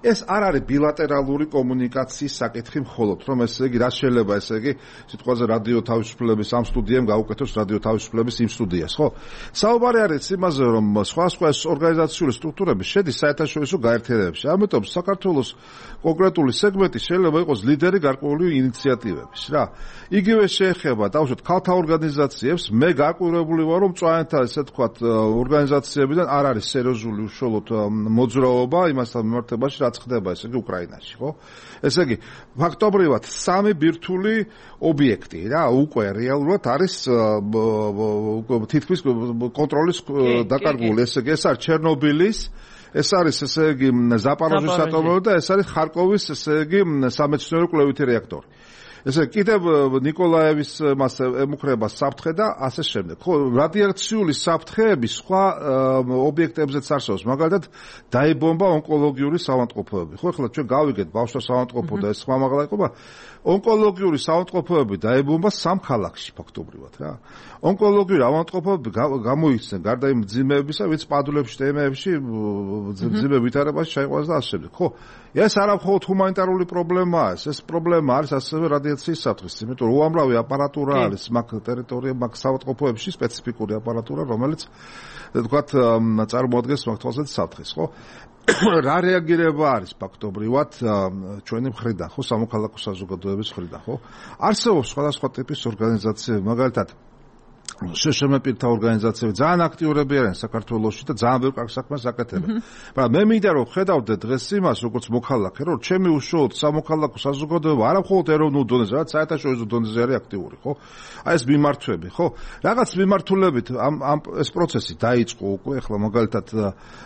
ეს არ არის ბილატერალური კომუნიკაციის საკითხი მხოლოდ, რომ ესე იგი, რა შეიძლება, ესე იგი, სიტყვაზე რადიო თავისუფლების ამ სტუდიამ გაუკეთოს რადიო თავისუფლების იმ სტუდიას, ხო? საუბარი არის იმაზე, რომ სხვა სხვა ორგანიზაციული სტრუქტურები შედის საერთაშორისო გაერთიანებებში. ამიტომ საქართველოს კონკრეტული სეგმენტი შეიძლება იყოს ლიდერი გარკვეული ინიციატივების, რა. იგივე შეეხება, დავუშვათ, ქალთა ორგანიზაციებს, მე გაკვირვებული ვარ, რომ მწვანეთა, ესე თქვათ, ორგანიზაციებიდან არ არის სერიოზული უშუალოდ მოძრაობა იმასთან მიმართებაში, რაც ხდება, ესე იგი, უკრაინაში, ხო? ესე იგი, ფაქტობრივად სამი ბირთვული ობიექტი, რა, უკვე რეალურად არის თითქმის კონტროლის დაკარგული, ესე იგი, ეს არის ჩერნობილის, ეს არის, ესე იგი, ზაპოროჟის ატომური და ეს არის ხარკოვის, ესე იგი, სამეცნიერო კვლევითი რეაქტორი. ესე კიდევ ნიკოლაევის მას ემუქრება საფრთხე და ასე შემდეგ. ხო, რადიაციული საფრთხეები სხვა ობიექტებზეც არსებობს. მაგალითად, დაიბომბა ონკოლოგიური საავადმყოფოები. ხო, ახლა ჩვენ გავიგეთ ბავშვთა საავადმყოფო და ეს სხვა მაღლა იყო, ონკოლოგიური საავადმყოფოები დაიბომბა სამ ქალაქში ფაქტობრივად, რა. ონკოლოგიური ავადმყოფოები გამოიქცნენ გარდა იმ მძიმეებისა, ვინც პადულებში და ემეებში მძიმე ვითარებაში ჩაიყვანეს და ასე შემდეგ. ხო, ეს არა მხოლოდ ჰუმანიტარული პრობლემაა, ეს პრობლემა არის ასევე რადიაციის საფრთხის, იმიტომ რომ უამრავი აპარატურა არის მაგ ტერიტორიებში, მაგ საავადმყოფოებში სპეციფიკური აპარატურა, რომელიც თქვათ წარმოადგენს მაგ თვალსაზრისით საფრთხეს, ხო? რა რეაგირება არის ფაქტობრივად ჩვენი მხრიდან, ხო, სამოქალაქო საზოგადოების მხრიდან, ხო? არსებობს სხვადასხვა ტიპის ორგანიზაციები, მაგალითად შშმ პირთა ორგანიზაციები ძალიან აქტიურები არიან საქართველოში და ძალიან ბევრ კარგ საქმეს აკეთებენ. მაგრამ მე მინდა რომ ხედავდე დღეს იმას, როგორც მოქალაქე, რომ ჩემი უშუალოდ სამოქალაქო საზოგადოება არა მხოლოდ ეროვნულ დონეზე, რაც საერთაშორისო დონეზე არის აქტიური, ხო? აი ეს მიმართვები, ხო? რაღაც მიმართულებით ამ ამ ეს პროცესი დაიწყო უკვე, ახლა მაგალითად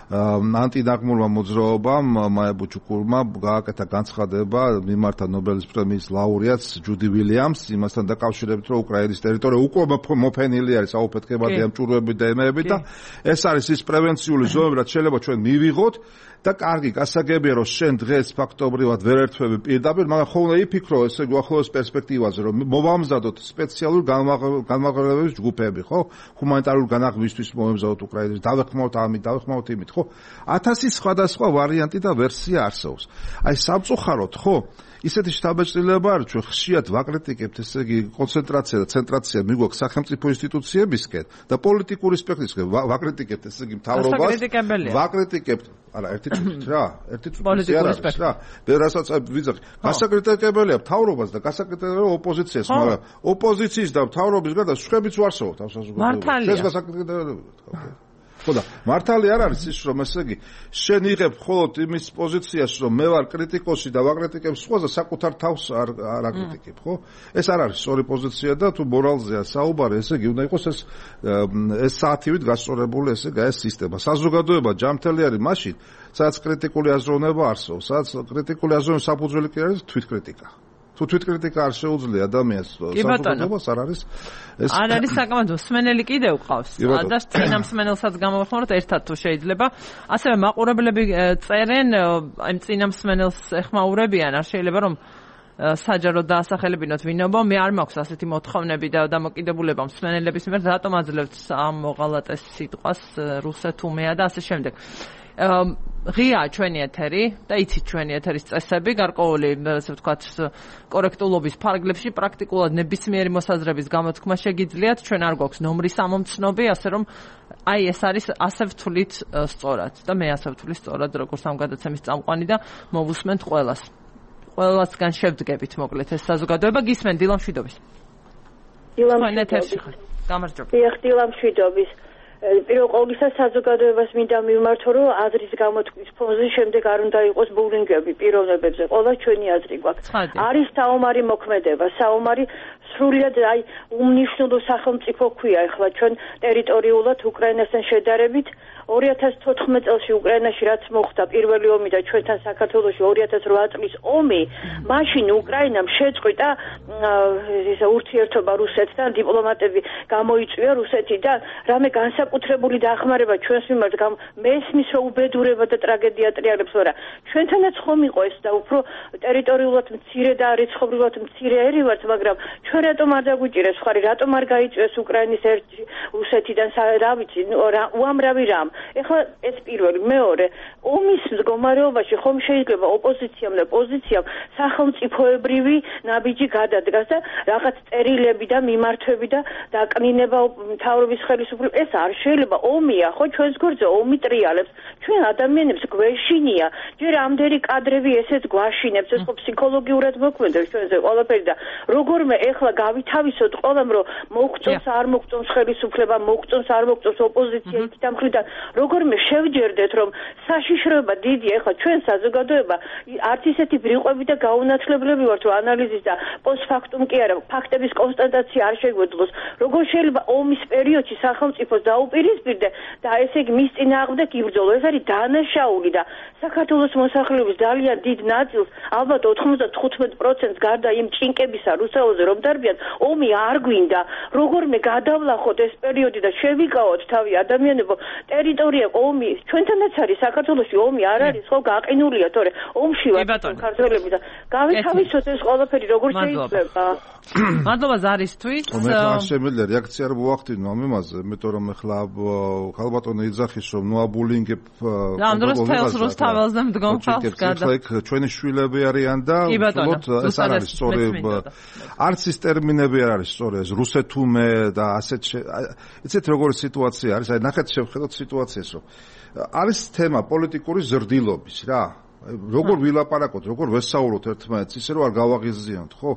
ანტინაღმულმა მოძრაობამ მაია ბუჩუკურმა გააკეთა განცხადება, მიმართა ნობელის პრემიის ლაურეატს ჯუდი ვილიამს იმასთან დაკავშირებით, რომ უკრაინის ტერიტორია უკვე მოფენილი არის აუფეთქებადი ამ ჭურვებით და ემეებით და ეს არის ის პრევენციული ზონები, რაც შეიძლება ჩვენ მივიღოთ და კარგი გასაგებია რომ შენ დღეს ფაქტობრივად ვერ ერთვები პირდაპირ, მაგრამ ხოლმე იფიქრო ესე უახლოეს პერსპექტივაზე რომ მოვამზადოთ სპეციალური განმაღლებების ჯგუფები, ხო? ჰუმანიტარული განაღვისთვის მომემზადოთ უკრაინაში, დავეხმაროთ ამით, დავეხმაროთ იმით, ხო? ათასი სხვადასხვა ვარიანტი და ვერსია არსებობს. აი სამწუხაროდ, ხო? ისეთი შთაბეჭდილება არის, ჩვენ ხშირად ვაკრიტიკებთ, ესე იგი, კონცენტრაცია და ცენტრაცია მიგვაქვს სახელმწიფო ინსტიტუციებისკენ და პოლიტიკური სპექტრისკენ ვაკრიტიკებთ, ესე იგი, მთავრობას. ვაკრიტიკებთ. არა, ერთი წუთით რა, ერთი წუთით არ არის რა. მე რასაც ვიძახი, გასაკრიტიკებელია მთავრობას და გასაკრიტიკებელია ოპოზიციას, მაგრამ ოპოზიციის და მთავრობის გარდა სხვებიც ვარსებობთ ამ საზოგადოებაში. ეს გასაკრიტიკებელია. ხო და მართალი არ არის ის რომ ესე იგი შენ იღებ მხოლოდ იმის პოზიციას რომ მე ვარ კრიტიკოსი და ვაკრიტიკებ სხვას და საკუთარ თავს არ არ აკრიტიკებ, ხო? ეს არ არის სწორი პოზიცია და თუ მორალზეა საუბარი, ესე იგი უნდა იყოს ეს ეს საათივით გასწორებული ესე იგი ეს სისტემა. საზოგადოება ჯანმრთელი არის მაშინ, სადაც კრიტიკული აზროვნება არსებობს, სადაც კრიტიკული აზროვნების საფუძველი კი არის თვითკრიტიკა. თუ თვითკრიტიკა არ შეუძლია ადამიანს საზოგადოებას არ არის ეს არ არის საკმაოდ მსმენელი კიდევ ყავს და წინა მსმენელსაც გამოვხმაროთ ერთად თუ შეიძლება ასევე მაყურებლები წერენ აი წინა მსმენელს ეხმაურებიან არ შეიძლება რომ საჯარო დაასახელებინოთ ვინობა მე არ მაქვს ასეთი მოთხოვნები და დამოკიდებულება მსმენელების მიერ რატომ აძლევთ ამ მოღალატეს სიტყვას რუსეთუმეა და ასე შემდეგ ღია ჩვენი ეთერი და იცით ჩვენი ეთერის წესები გარკვეული ასე ვთქვათ კორექტულობის ფარგლებში პრაქტიკულად ნებისმიერი მოსაზრების გამოთქმა შეგიძლიათ ჩვენ არ გვაქვს ნომრის ამომცნობი ასე რომ აი ეს არის ასე ვთვლით სწორად და მე ასე ვთვლი სწორად როგორც ამ გადაცემის წამყვანი და მოვუსმენთ ყველას ყველასგან შევდგებით მოკლედ ეს საზოგადოება გისმენ დილამ შვიდობის დილამ ეთერში ხარ გამარჯობა დიახ დილამ შვიდობის პირველ ყოვლისა საზოგადოებას მინდა მივმართო რომ აზრის გამოთქმის ფონზე შემდეგ არ უნდა იყოს ბულინგები პიროვნებებზე ყველა ჩვენი აზრი გვაქვს არის საომარი მოქმედება საომარი სრულად აი უმნიშვნელო სახელმწიფო ქვია ახლა ჩვენ ტერიტორიულად უკრაინასთან შედარებით ორი ათას თოთხმეტ წელს უკრაინაში რაც მოხდა პირველი ომი და ჩვენთან საქართველოში ორი ათას რვა წლის ომი მაშინ უკრაინამ შეწყვიტა ეს ურთიერთობა რუსეთთან დიპლომატები გამოიწვია რუსეთიდან რამე განსაკუთრებული დახმარება ჩვენს მიმართ მესმის რომ უბედურება და ტრაგედია ტრიალებს ვარა ჩვენთანაც ხომ იყო ეს და უფრო ტერიტორიულად მცირე და რიცხობრივად მცირე ერი ვართ მაგრამ ჩვენ რატომ არ დაგვიჭირეს ხარი რატომ არ გაიწვიეს უკრაინის ერთი რუსეთიდან რა ვიცი უამრავი რამ ეხლა ეს პირველი მეორე ომის მდგომარეობაში ხომ შეიძლება ოპოზიციამ და პოზიციამ სახელმწიფოებრივი ნაბიჯი გადადგას და რაღაც წერილები და მიმართვები და დაკნინება მთავრობის ხელისუფლება ეს არ შეიძლება ომია ხო ჩვენს გვერდზე ომი ტრიალებს ჩვენ ადამიანებს გვეშინია ჯერ ამდენი კადრები ესეც გვაშინებს ეს ხო ფსიქოლოგიურად მოქმედებს ჩვენზე ყველაფერი და როგორმე ეხლა გავითავისოთ ყველამ რომ მოგწონს არ მოგწონს ხელისუფლება მოგწონს არ მოგწონს ოპოზიცია იქით ამ მხრიდან როგორმე შევჯერდეთ რომ საშიშროება დიდია ეხლა ჩვენ საზოგადოება არც ისეთი ბრიყვები და გაუნათლებლები ვართ რომ ანალიზის და პოსტფაქტუმ კი არა ფაქტების კონსტატაცია არ შეგვეძლოს როგორ შეიძლება ომის პერიოდში სახელმწიფოს დაუპირისპირდე და ესე იგი მის წინააღმდეგ იბრძოლო ეს არის დანაშაული და საქართველოს მოსახლეობის ძალიან დიდ ნაწილს ალბათ ოთხმოცდათხუთმეტ პროცენტს გარდა იმ ჭინკებისა რუსთავზე რომ გაუშვებიან, ომი არ გვინდა, როგორმე გადავლახოთ ეს პერიოდი და შევიკავოთ თავი ადამიანებო, ტერიტორია ომი, ჩვენთანაც არის საქართველოში ომი არ არის, ხო გაყინულია, თორე ომში ვართ ქართველები და გავითავისოთ ეს ყველაფერი როგორ შეიძლება. მადლობა ზარისთვის. მე ხარ შემიძლია რეაქცია არ მოვახდინო ამ იმაზე, იმიტომ რომ ეხლა ქალბატონი იძახის რომ ნოაბულინგებ ამ დროს თელს რუსთაველზე მდგომ ხალხს გადა. ეხლა იქ ჩვენი შვილები არიან და უბრალოდ ეს არ არის სწორი არც ის ტერმინები არ არის სწორი ეს რუსეთუმე და ასეთ იცით როგორი სიტუაცია არის აი ნახეთ შევხედოთ სიტუაციას რომ არის თემა პოლიტიკური ზრდილობის რა როგორ ვილაპარაკოთ, როგორ ვესაუბროთ ერთმანეთს, ისე რომ არ გავაღიზიანოთ, ხო?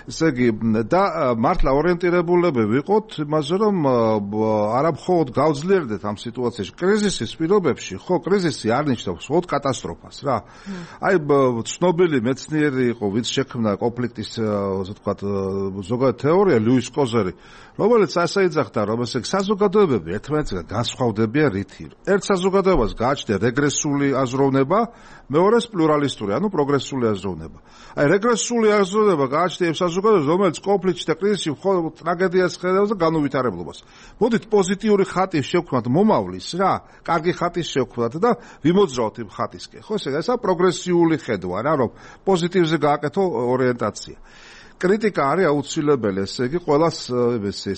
ესე იგი და მართლა ორიენტირებულები ვიყოთ იმაზე, რომ არა მხოლოდ გავძლიერდეთ ამ სიტუაციაში, კრიზისის პირობებში, ხო, კრიზისი არ ნიშნავს მხოლოდ კატასტროფას, რა. აი ცნობილი მეცნიერი იყო, ვინც შექმნა კონფლიქტის, ასე ვთქვათ, ზოგადად თეორია, ლუის კოზერი, რომელიც ასე იძახდა, რომ ესე საზოგადოებები ერთმანეთსგან განსხვავდებიან რითი. ერთ საზოგადოებას გააჩნია რეგრესული აზროვნება, მეორეს პლურალისტური, ანუ პროგრესული აზროვნება. აი რეგრესული აზროვნება გააჩნია იმ საზოგადოებას, რომელიც კონფლიქტში და კრიზისში მხოლოდ ტრაგედიას ხედავს და განუვითარებლობას. მოდით პოზიტიური ხატი შევქმნათ მომავლის, რა, კარგი ხატი შევქმნათ და ვიმოძრაოთ იმ ხატისკენ. ხო, ესე ესა პროგრესიული ხედვა, რა, რომ პოზიტივზე გააკეთო ორიენტაცია. კრიტიკა არის აუცილებელი, ესე იგი, ყველას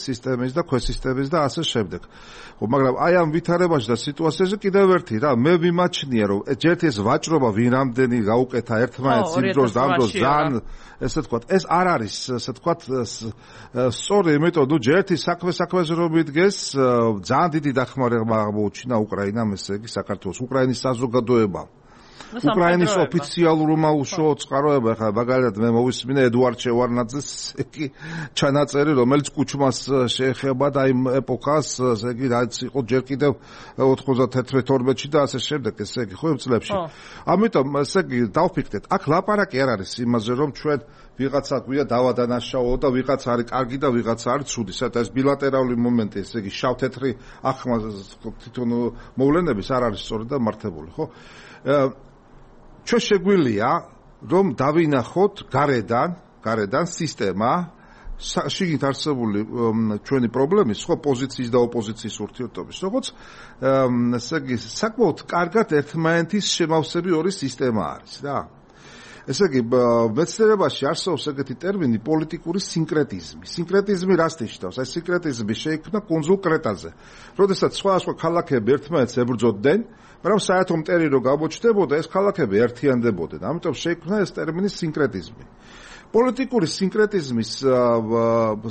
სისტემის და ქვესისტემის და ასე შემდეგ. მაგრამ აი ამ ვითარებაში და სიტუაციაზე კიდევ ერთი რა, მე ვიმაჩნია, რომ ერთ ეს ვაჭრობა ვინ რამდენი გაუკეთა ერთმანეთს იმ დროს და ამ დროს ძალიან, ესე ვთქვათ, ეს არ არის, ესე ვთქვათ, სწორი, იმიტომ რომ ჯერ ერთი საქმე საქმეზე რომ მიდგეს, ძალიან დიდი დახმარება აღმოუჩინა უკრაინამ, ესე იგი, საქართველოს, უკრაინის საზოგადოებამ. უკრაინის ოფიციალურმა უშუალო წყაროება, ხა მაგალითად მე მოვისმინე ედუარდ შევარნაძეს იგი ჩანაწერი, რომელიც კუჩმას შეეხება და იმ ეპოქას, ესე იგი, რაც იყო ჯერ კიდევ ოთხმოცდათერთმეტ ორმეტში და ასე შემდეგ, ესე იგი, ხო იმ წლებში. ამიტომ, ესე იგი, დავფიქრეთ, აქ ლაპარაკი არ არის იმაზე, რომ ჩვენ ვიღაცა გვია დავადანაშაულო და ვიღაცა არის კარგი და ვიღაცა არის ცუდი. საერთოდ ეს ბილატერალური მომენტი, ესე იგი, შავ-თეთრი ახმა თვითონ მოვლენების არ არის სწორი და მართებული, ხო? ჩვენ შეგვიძლია რომ დავინახოთ გარედან, გარედან სისტემა, შიგნით არსებული ჩვენი პრობლემის, ხო, პოზიციის და ოპოზიციის ურთიერთობის, როგორც ესე იგი, საკმაოდ კარგად ერთმანეთის შემავსები ორი სისტემა არის, რა. ესე იგი, მეცნიერებაში არსებობს ეგეთი ტერმინი პოლიტიკური სინკრეტიზმი. სინკრეტიზმი რას ნიშნავს? აი სინკრეტიზმი შეიქმნა კუნძულ კრეტაზე. როდესაც სხვადასხვა ქალაქები ერთმანეთს ებრძოდნენ, მაგრამ საერთო მტერი რო გამოჩნდებოდა, ეს ქალაქები ერთიანდებოდნენ. ამიტომ შეიქმნა ეს ტერმინი სინკრეტიზმი. პოლიტიკური სინკრეტიზმის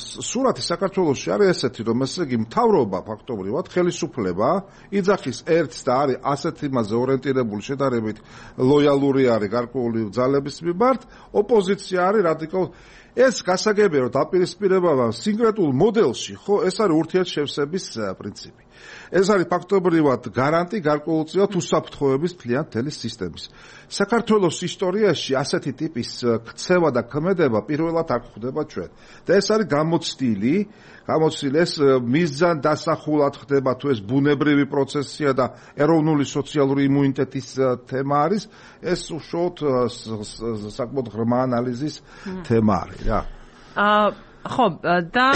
სურათი საქართველოში არის ესეთი, რომ ესე იგი მთავრობა ფაქტობრივად ხელისუფლება იძახის ერთს და არის ასეთ იმაზე ორიენტირებული შედარებით ლოიალური არის გარკვეული ძალების მიმართ, ოპოზიცია არის რადიკალური. ეს გასაგებია, რომ დაპირისპირება სინკრეტულ მოდელში, ხო, ეს არის ურთიერთშევსების პრინციპი. ეს არის ფაქტობრივად გარანტი გარკვეულწილად უსაფრთხოების მთლიან მთელი სისტემის. საქართველოს ისტორიაში ასეთი ტიპის ქცევა და ქმედება პირველად არ ხდება ჩვენ. და ეს არის გამოცდილი, გამოცდილი ეს მიზან დასახულად ხდება თუ ეს ბუნებრივი პროცესია და ეროვნული სოციალური იმუნიტეტის თემა არის, ეს უშუალოდ საკმაოდ ღრმა ანალიზის თემა არის, რა. აა ხო, და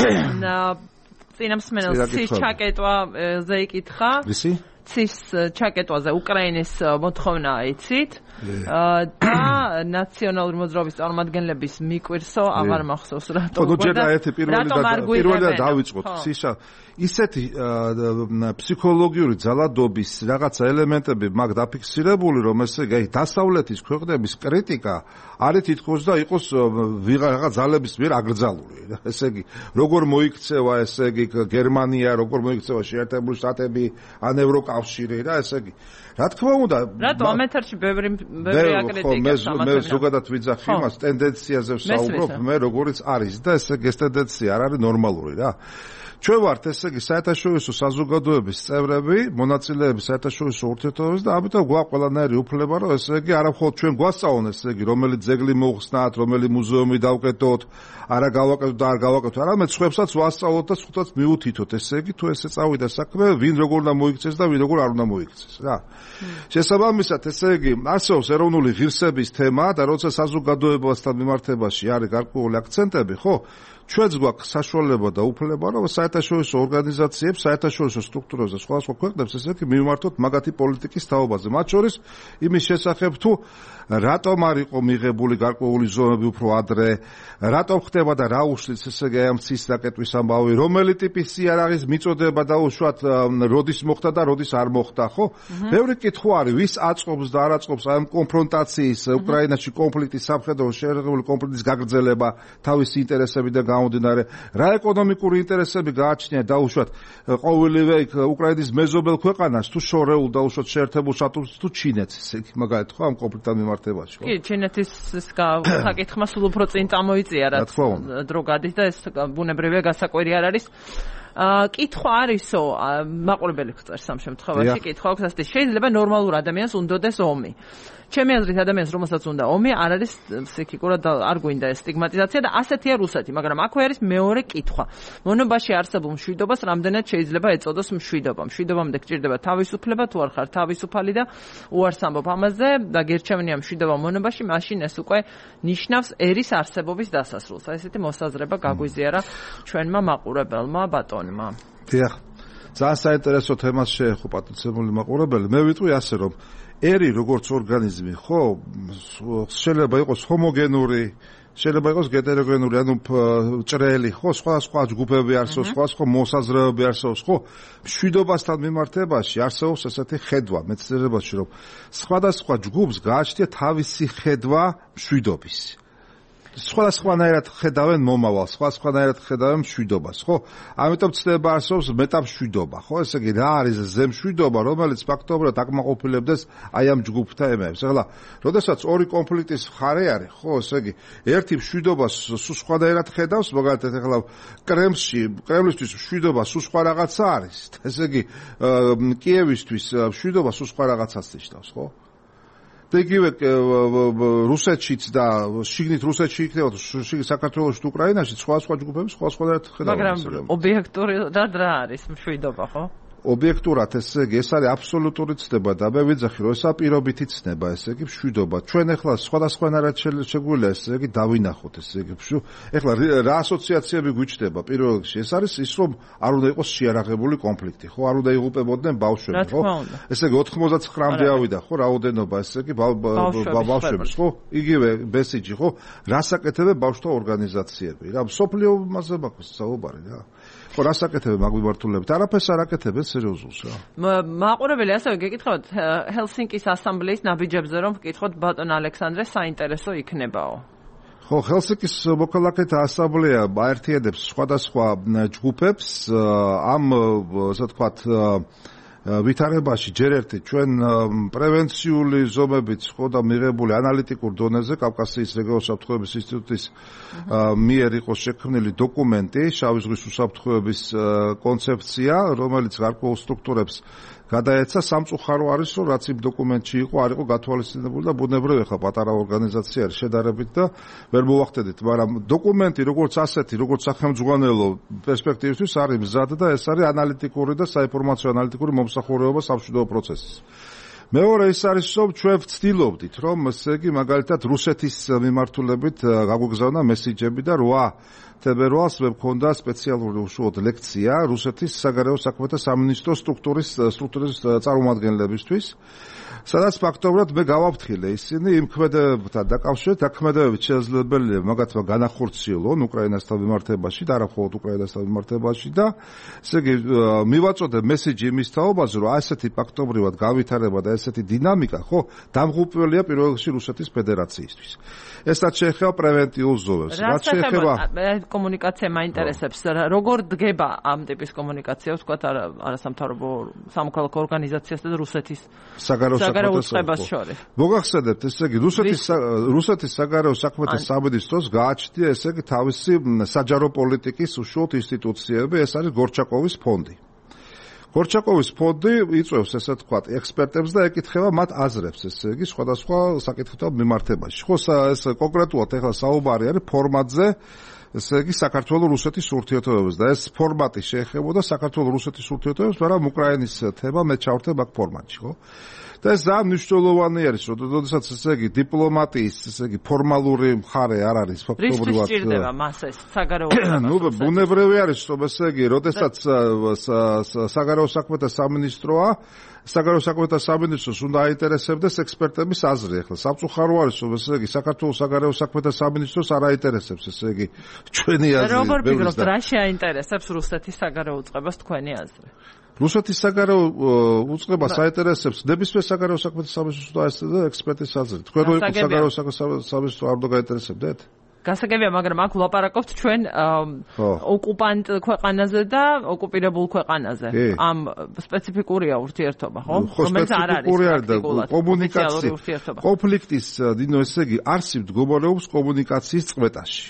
წინამსმენელს ცის ჩაკეტვაზე იკითხა. ვისი? ცის ჩაკეტვაზე უკრაინის მოთხოვნა იცით? და ნაციონალური მოძრაობის წარმომადგენლების მიკვირსო აღარ მახსოვს რატომ. ხო, ჯერ ერთი პირველი პირველი დავიწყოთ. ცისა ისეთი ფსიქოლოგიური ძალადობის რაღაცა ელემენტები მაგ დაფიქსირებული, რომ ესე იგი დასავლეთის ქვეყნების კრიტიკა არის თითქოს და იყოს ვიღაცა ძალების მიერ აკრძალული. ესე იგი, როგორ მოიქცევა ესე იგი გერმანია, როგორ მოიქცევა შეერთებული შტატები, ან ევროკავშირი რა, ესე იგი. რა თქმა უნდა, რატო ამ ეთერში ბევრი ბევრი აკრიტიკა სამათებია. მე ზოგადად ვიძახი იმას, ტენდენციაზე ვსაუბრობ, მე როგორიც არის და ესე ეს ტენდენცია არ არის ნორმალური რა. ჩვენ ვართ ესე იგი საერთაშორისო საზოგადოების წევრები, მონაწილეები საერთაშორისო ურთიერთობებში და ამიტომ გვაქვს ყველანაირი უფლება, რომ ესე იგი არა მხოლოდ ჩვენ გვასწავლონ ესე იგი რომელი ძეგლი მოხსნათ, რომელი მუზეუმი დავკეტოთ, არა გავაკეთოთ და არ გავაკეთოთ, არამედ სხვებსაც ვასწავლოთ და სხვათაც მიუთითოთ, ესე იგი თუ ესე წავიდა საქმე, ვინ როგორ უნდა მოიქცეს და ვინ როგორ არ უნდა მოიქცეს, რა. შესაბამისად, ესე იგი არსებობს ეროვნული ღირსების თემა და როცა საზოგადოებასთან მიმართებაში არის გარკვეული აქცენტები, ხო? ჩვენც გვაქვს საშუალება და უფლება, რომ საერთაშორისო ორგანიზაციებს, საერთაშორისო სტრუქტურებს და სხვადასხვა ქვეყნებს ესე იგი მივმართოთ მაგათი პოლიტიკის თაობაზე. მათ შორის იმის შესახებ თუ რატომ არ იყო მიღებული გარკვეული ზომები უფრო ადრე, რატომ ხდება და რა უშლის ესე იგი ამ ცის დაკეტვის ამბავი, რომელი ტიპის იარაღის მიწოდება და უშუალოდ როდის მოხდა და როდის არ მოხდა, ხო? ბევრი კითხვა არის, ვის აწყობს და არ აწყობს ამ კონფრონტაციის, უკრაინაში კონფლიქტის, სამხედრო შეერაღებული კონფლიქტის გაგრძელება თავისი ინტერესებიდან გამომდინარე, რა ეკონომიკური ინტერესები გააჩნია და უშუალოდ ყოველივე უკრაინის მეზობელ ქვეყანას თუ შორეულ და უშუალოდ შეერთებულ შტატებს თუ ჩინეთს, ესე იგი მაგალითად ხო ამ კონფლიქტთან მიმართებაში, ხო? კი, ჩინეთის საკითხმა სულ უფრო წინ წამოიწია, რაც დრო გადის და ეს ბუნებრივია გასაკვირი არ არის. კითხვა არისო, მაყურებელი ხწერს ამ შემთხვევაში, კითხვა აქვს ასეთი, შეიძლება ნორმალურ ადამიანს უნდოდეს ომი. ჩემი აზრით ადამიანს რომელსაც უნდა ომი არ არის ფსიქიკურად არ გვინდა ეს სტიგმატიზაცია და ასეთია რუსეთი, მაგრამ აქვე არის მეორე კითხვა. მონობაში არსებულ მშვიდობას რამდენად შეიძლება ეწოდოს მშვიდობა? მშვიდობამდე გჭირდება თავისუფლება, თუ არ ხარ თავისუფალი და უარს ამბობ ამაზე და გერჩევნია მშვიდობა მონობაში, მაშინ ეს უკვე ნიშნავს ერის არსებობის დასასრულს. აი ესეთი მოსაზრება გაგვიზიარა ჩვენმა მაყურებელმა ბატონმა. დიახ. ძალიან საინტერესო თემას შეეხო პატიცებული მაყურებელი. მე ვიტყვი ასე რომ ერი როგორც ორგანიზმი, ხო, შეიძლება იყოს ჰომოგენური, შეიძლება იყოს ჰეტეროგენური, ანუ ჭრელი, ხო, სხვადასხვა ჯგუფები არსებობს, სხვადასხვა მოსაზრებები არსებობს, ხო? მშვიდობასთან მიმართებაში არსებობს ესეთი ხედვა მეცნიერებაში, რომ სხვადასხვა ჯგუფს გააჩნია თავისი ხედვა მშვიდობის. სხვადასხვანაირად ხედავენ მომავალს, სხვადასხვანაირად ხედავენ მშვიდობას, ხო? ამიტომ ცდება არსებობს მეტამშვიდობა, ხო? ესე იგი, რა არის ზემშვიდობა, რომელიც ფაქტობრივად აკმაყოფილებდეს აი ამ ჯგუფთა ემეებს. ეხლა, როდესაც ორი კონფლიქტის მხარე არის, ხო, ესე იგი, ერთი მშვიდობას სულ სხვანაირად ხედავს, მაგალითად, ეხლა კრემლში, კრემლისთვის მშვიდობა სულ სხვა რაღაცა არის. ესე იგი, კიევისთვის მშვიდობა სულ სხვა რაღაცას ნიშნავს, ხო? იგივე რუსეთშიც და შიგნით რუსეთში იქნება შიგნით საქართველოში თუ უკრაინაში სხვა სხვა ჯგუფები სხვა სხვადასხვა ხედავენ. მაგრამ ობიექტურად რა არის მშვიდობა, ხო? ობიექტურად ესე იგი ეს არის აბსოლუტური ცნება და მე ვიძახი რომ ესა პირობითი ცნება, ესე იგი მშვიდობა. ჩვენ ახლა სხვადასხვანაირად შეგვიძლია ესე იგი დავინახოთ ესე იგი მშვიდობა. ახლა რა ასოციაციები გვიჩნდება პირველ რიგში? ეს არის ის რომ არ უნდა იყოს შეარაღებული კონფლიქტი, ხო? არ უნდა იღუპებოდნენ ბავშვები, ხო? ესე იგი ოთხმოცდათხრამდე ავიდა, ხო, რაოდენობა ესე იგი ბავშვების, ხო? იგივე მესიჯი, ხო? რას აკეთებენ ბავშვთა ორგანიზაციები? რა სოფლიო მასზე მაქვს საუბარი რა. ხო, რას აკეთებენ მაგ მიმართულებით? არაფერს არ აკეთებენ სერიოზულს რა. მაყურებელი ასევე გეკითხავთ ჰელსინკის ასამბლეის ნაბიჯებზე რომ გკითხოთ ბატონ ალექსანდრე საინტერესო იქნებაო. ხო, ჰელსინკის მოქალაქეთა ასამბლეა აერთიანებს სხვადასხვა ჯგუფებს ამ ასე ვთქვათ ვითარებაში ჯერ ერთი ჩვენ პრევენციული ზომებით ხო და მიღებული ანალიტიკურ დონეზე კავკასიის რეგიონულ საფრთხეების ინსტიტუტის მიერ იყო შექმნილი დოკუმენტი შავი ზღვის უსაფრთხოების კონცეფცია, რომელიც გარკვეულ სტრუქტურებს გადაეცა. სამწუხარო არის, რომ რაც იმ დოკუმენტში იყო, არ იყო გათვალისწინებული და ბუნებრივია ხა პატარა ორგანიზაცია არის შედარებით და ვერ მოვახდედით, მაგრამ დოკუმენტი როგორც ასეთი, როგორც სახელმძღვანელო პერსპექტივისთვის არის მზად და ეს არის ანალიტიკური და საინფორმაციო ანალიტიკური მომსახურება სამშვიდობო პროცესის. მეორე ის არის, რომ ჩვენ ვცდილობდით, რომ ესე იგი მაგალითად რუსეთის მიმართულებით გაგვიგზავნა მესიჯები და რვა თებერვალს მე მქონდა სპეციალური უშუალოდ ლექცია რუსეთის საგარეო საქმეთა სამინისტრო სტრუქტურის სტრუქტურის წარმომადგენლებისთვის, სადაც ფაქტობრივად მე გავაფრთხილე ისინი იმ ქმედებებთან დაკავშირებით, აქ ქმედებებით შესაძლებელია მაგათმა განახორციელონ უკრაინასთან მიმართებაში და არა მხოლოდ უკრაინასთან მიმართებაში და ესე იგი მივაწოდე მესიჯი იმის თაობაზე, რომ ასეთი ფაქტობრივად გავითარება და ესეთი დინამიკა, ხო, დამღუპველია პირველ რიგში რუსეთის ფედერაციისთვის. ესაც შეეხება პრევენტიულ ზომებს. რაც შეეხება კომუნიკაცია მაინტერესებს. როგორ დგება ამ ტიპის კომუნიკაცია, ვთქვათ, არასამთავრობო სამოქალაქო ორგანიზაციასთან და რუსეთის საგარეო უწყებას შორის? მოგახსენებთ, ესე იგი, რუსეთის რუსეთის საგარეო საქმეთა სამინისტროს გააჩნია ესე იგი თავისი საჯარო პოლიტიკის უშუალოდ ინსტიტუციები, ეს არის გორჩაკოვის ფონდი. გორჩაკოვის ფონდი იწვევს ესე ვთქვათ ექსპერტებს და ეკითხება მათ აზრებს, ესე იგი, სხვადასხვა საკითხებთან მიმართებაში. ხო, ეს კონკრეტულად ახლა საუბარი არის ფორმატზე, ესე იგი საქართველო-რუსეთის ურთიერთობებს და ეს ფორმატი შეეხებოდა საქართველო-რუსეთის ურთიერთობებს, მაგრამ უკრაინის თემა მე ჩავრდებ აქ ფორმატში, ხო? და ეს ძალიან მნიშვნელოვანი არის, რომ როდესაც ესე იგი დიპლომატიის, ესე იგი ფორმალური მხარე არ არის ფაქტობრივად. რის სჭირდება მას ეს საგარეო საქმეთა? ნუ ბუნებრივი არის, რომ ესე იგი, როდესაც საგარეო საქმეთა სამინისტროა, საგარეო საქმეთა სამინისტროს უნდა აინტერესებდეს ექსპერტების აზრი. ახლა სამწუხარო არის, რომ ესე იგი საქართველოს საგარეო საქმეთა სამინისტროს არ აინტერესებს, ესე იგი ჩვენი აზრი. როგორ ფიქრობთ, რა შეაინტერესებს რუსეთის საგარეო უწყებას თქვენი აზრი? რუსეთის საგარეო უწყებას აინტერესებს ნებისმიერ საგარეო საქმეთა სამინისტროს და ექსპერტის აზრი. თქვენ რო იყო საგარეო საქმეთა სამინისტრო არ უნდა გაინტერესებდეთ? გასაგებია, მაგრამ აქ ვლაპარაკობთ ჩვენ ოკუპანტ ქვეყანაზე და ოკუპირებულ ქვეყანაზე. ამ სპეციფიკურია ურთიერთობა, ხო? რომელიც არ არის პრაქტიკულად კომუნიკაცია. კონფლიქტის, დინო, ესე იგი, არსი მდგომარეობს კომუნიკაციის წყვეტაში.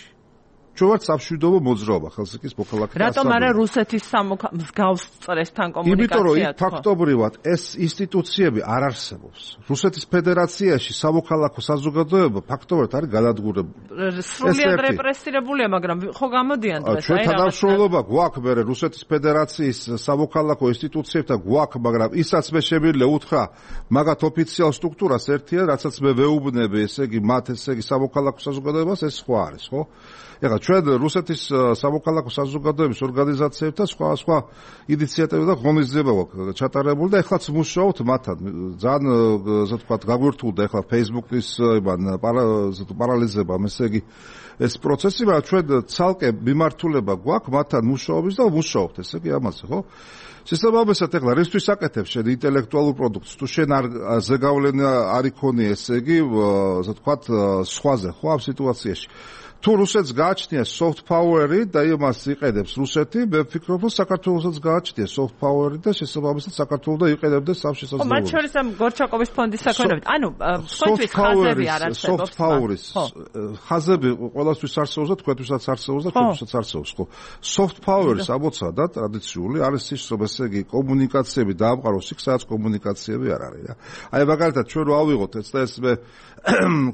ჩვენც სამშვიდობო მოძრაობა ხელსეკის მოქალაქეთა რატომ არა რუსეთის მსგავს წრესთან კომუნიკაცია? იმიტომ რომ იქ ფაქტობრივად ეს ინსტიტუციები არ არსებობს. რუსეთის ფედერაციაში სამოქალაქო საზოგადოება ფაქტობრივად არის განადგურებული. სრულიად რეპრესირებულია, მაგრამ ხო გამოდიან დღეს? ჩვენ თანამშრომლობა გვაქვს მე რუსეთის ფედერაციის სამოქალაქო ინსტიტუციებთან გვაქვს, მაგრამ ისაც მე შემიძლია უთხრა მაგათ ოფიციალ სტრუქტურას ერთია, რაცაც მე ვეუბნები, ესე იგი მათ ესე იგი სამოქალაქო საზოგადოებას ეს სხვა არის, ხო? ეხლა ჩვენ რუსეთის სამოქალაქო საზოგადოების ორგანიზაციებთან სხვა სხვა ინიციატივა და ღონისძიება გვაქვს ჩატარებული და ეხლაც მუშაობთ მათთან. ძალიან ასე ვთქვათ, გაგვირთულდა ეხლა Facebook-ის იბან პარალიზება, ესე იგი ეს პროცესი, მაგრამ ჩვენ ცალკე მიმართულება გვაქვს მათთან მუშაობის და მუშაობთ, ესე იგი ამაზე, ხო? შესაბამისად, ეხლა რისთვის აკეთებ შენ ინტელექტუალურ პროდუქტს? თუ შენ არ ზეგავლენა არ იქონია, ესე იგი, ასე ვთქვათ, სხვაზე, ხო, ამ სიტუაციაში. თუ რუსეთს გააჩნია soft power-ი და იმას იყედებს რუსეთი, მე ვფიქრობ, რომ საქართველოსაც გააჩნია soft power-ი და შესაბამისად საქართველოს და იყედებდეს ამ შესაძლებლობას. ხო, მათ შორის ამ გორჩაკოვის ფონდის საქმეებით. ანუ თქვენთვის ხაზები არ არსებობს. soft power-ის ხაზები ყველასთვის არსებობს და თქვენთვისაც არსებობს და ჩვენთვისაც არსებობს, ხო. soft power-ის ამოცა და ტრადიციული არის ის, რომ ესე იგი კომუნიკაციები დაამყაროს იქ, სადაც კომუნიკაციები არ არის რა. აი მაგალითად ჩვენ რო ავიღოთ ეს და ეს მე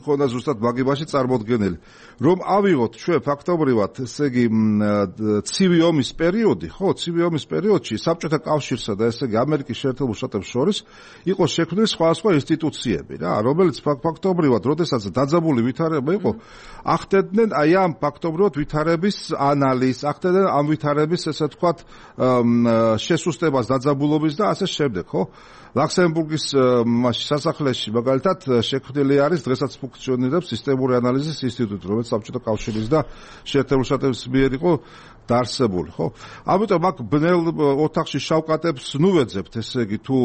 ხონა ზუსტად მაგებაში წარმოდგენილი, რომ ავიღოთ ჩვენ ფაქტობრივად, ესე იგი, ცივი ომის პერიოდი, ხო, ცივი ომის პერიოდში საბჭოთა კავშირსა და ესე იგი ამერიკის შეერთებულ შტატებს შორის იყო შექმნილი სხვადასხვა ინსტიტუციები რა, რომელიც ფაქტობრივად, როდესაც დაძაბული ვითარება იყო, ახდენდნენ აი ამ ფაქტობრივად ვითარების ანალიზს, ახდენდნენ ამ ვითარების, ესე ვთქვათ, შესუსტებას დაძაბულობის და ასე შემდეგ, ხო? ლაქსემბურგის სასახლეში მაგალითად შექმნილი არის დღესაც ფუნქციონირებს სისტემური ანალიზის ინსტიტუტი, რომელიც საბჭოთა კავშირის და შეერთებულ შტატების მიერ იყო დაარსებული, ხო? ამიტომ აქ ბნელ ოთახში შავკატებს ნუ ვეძებთ, ესე იგი, თუ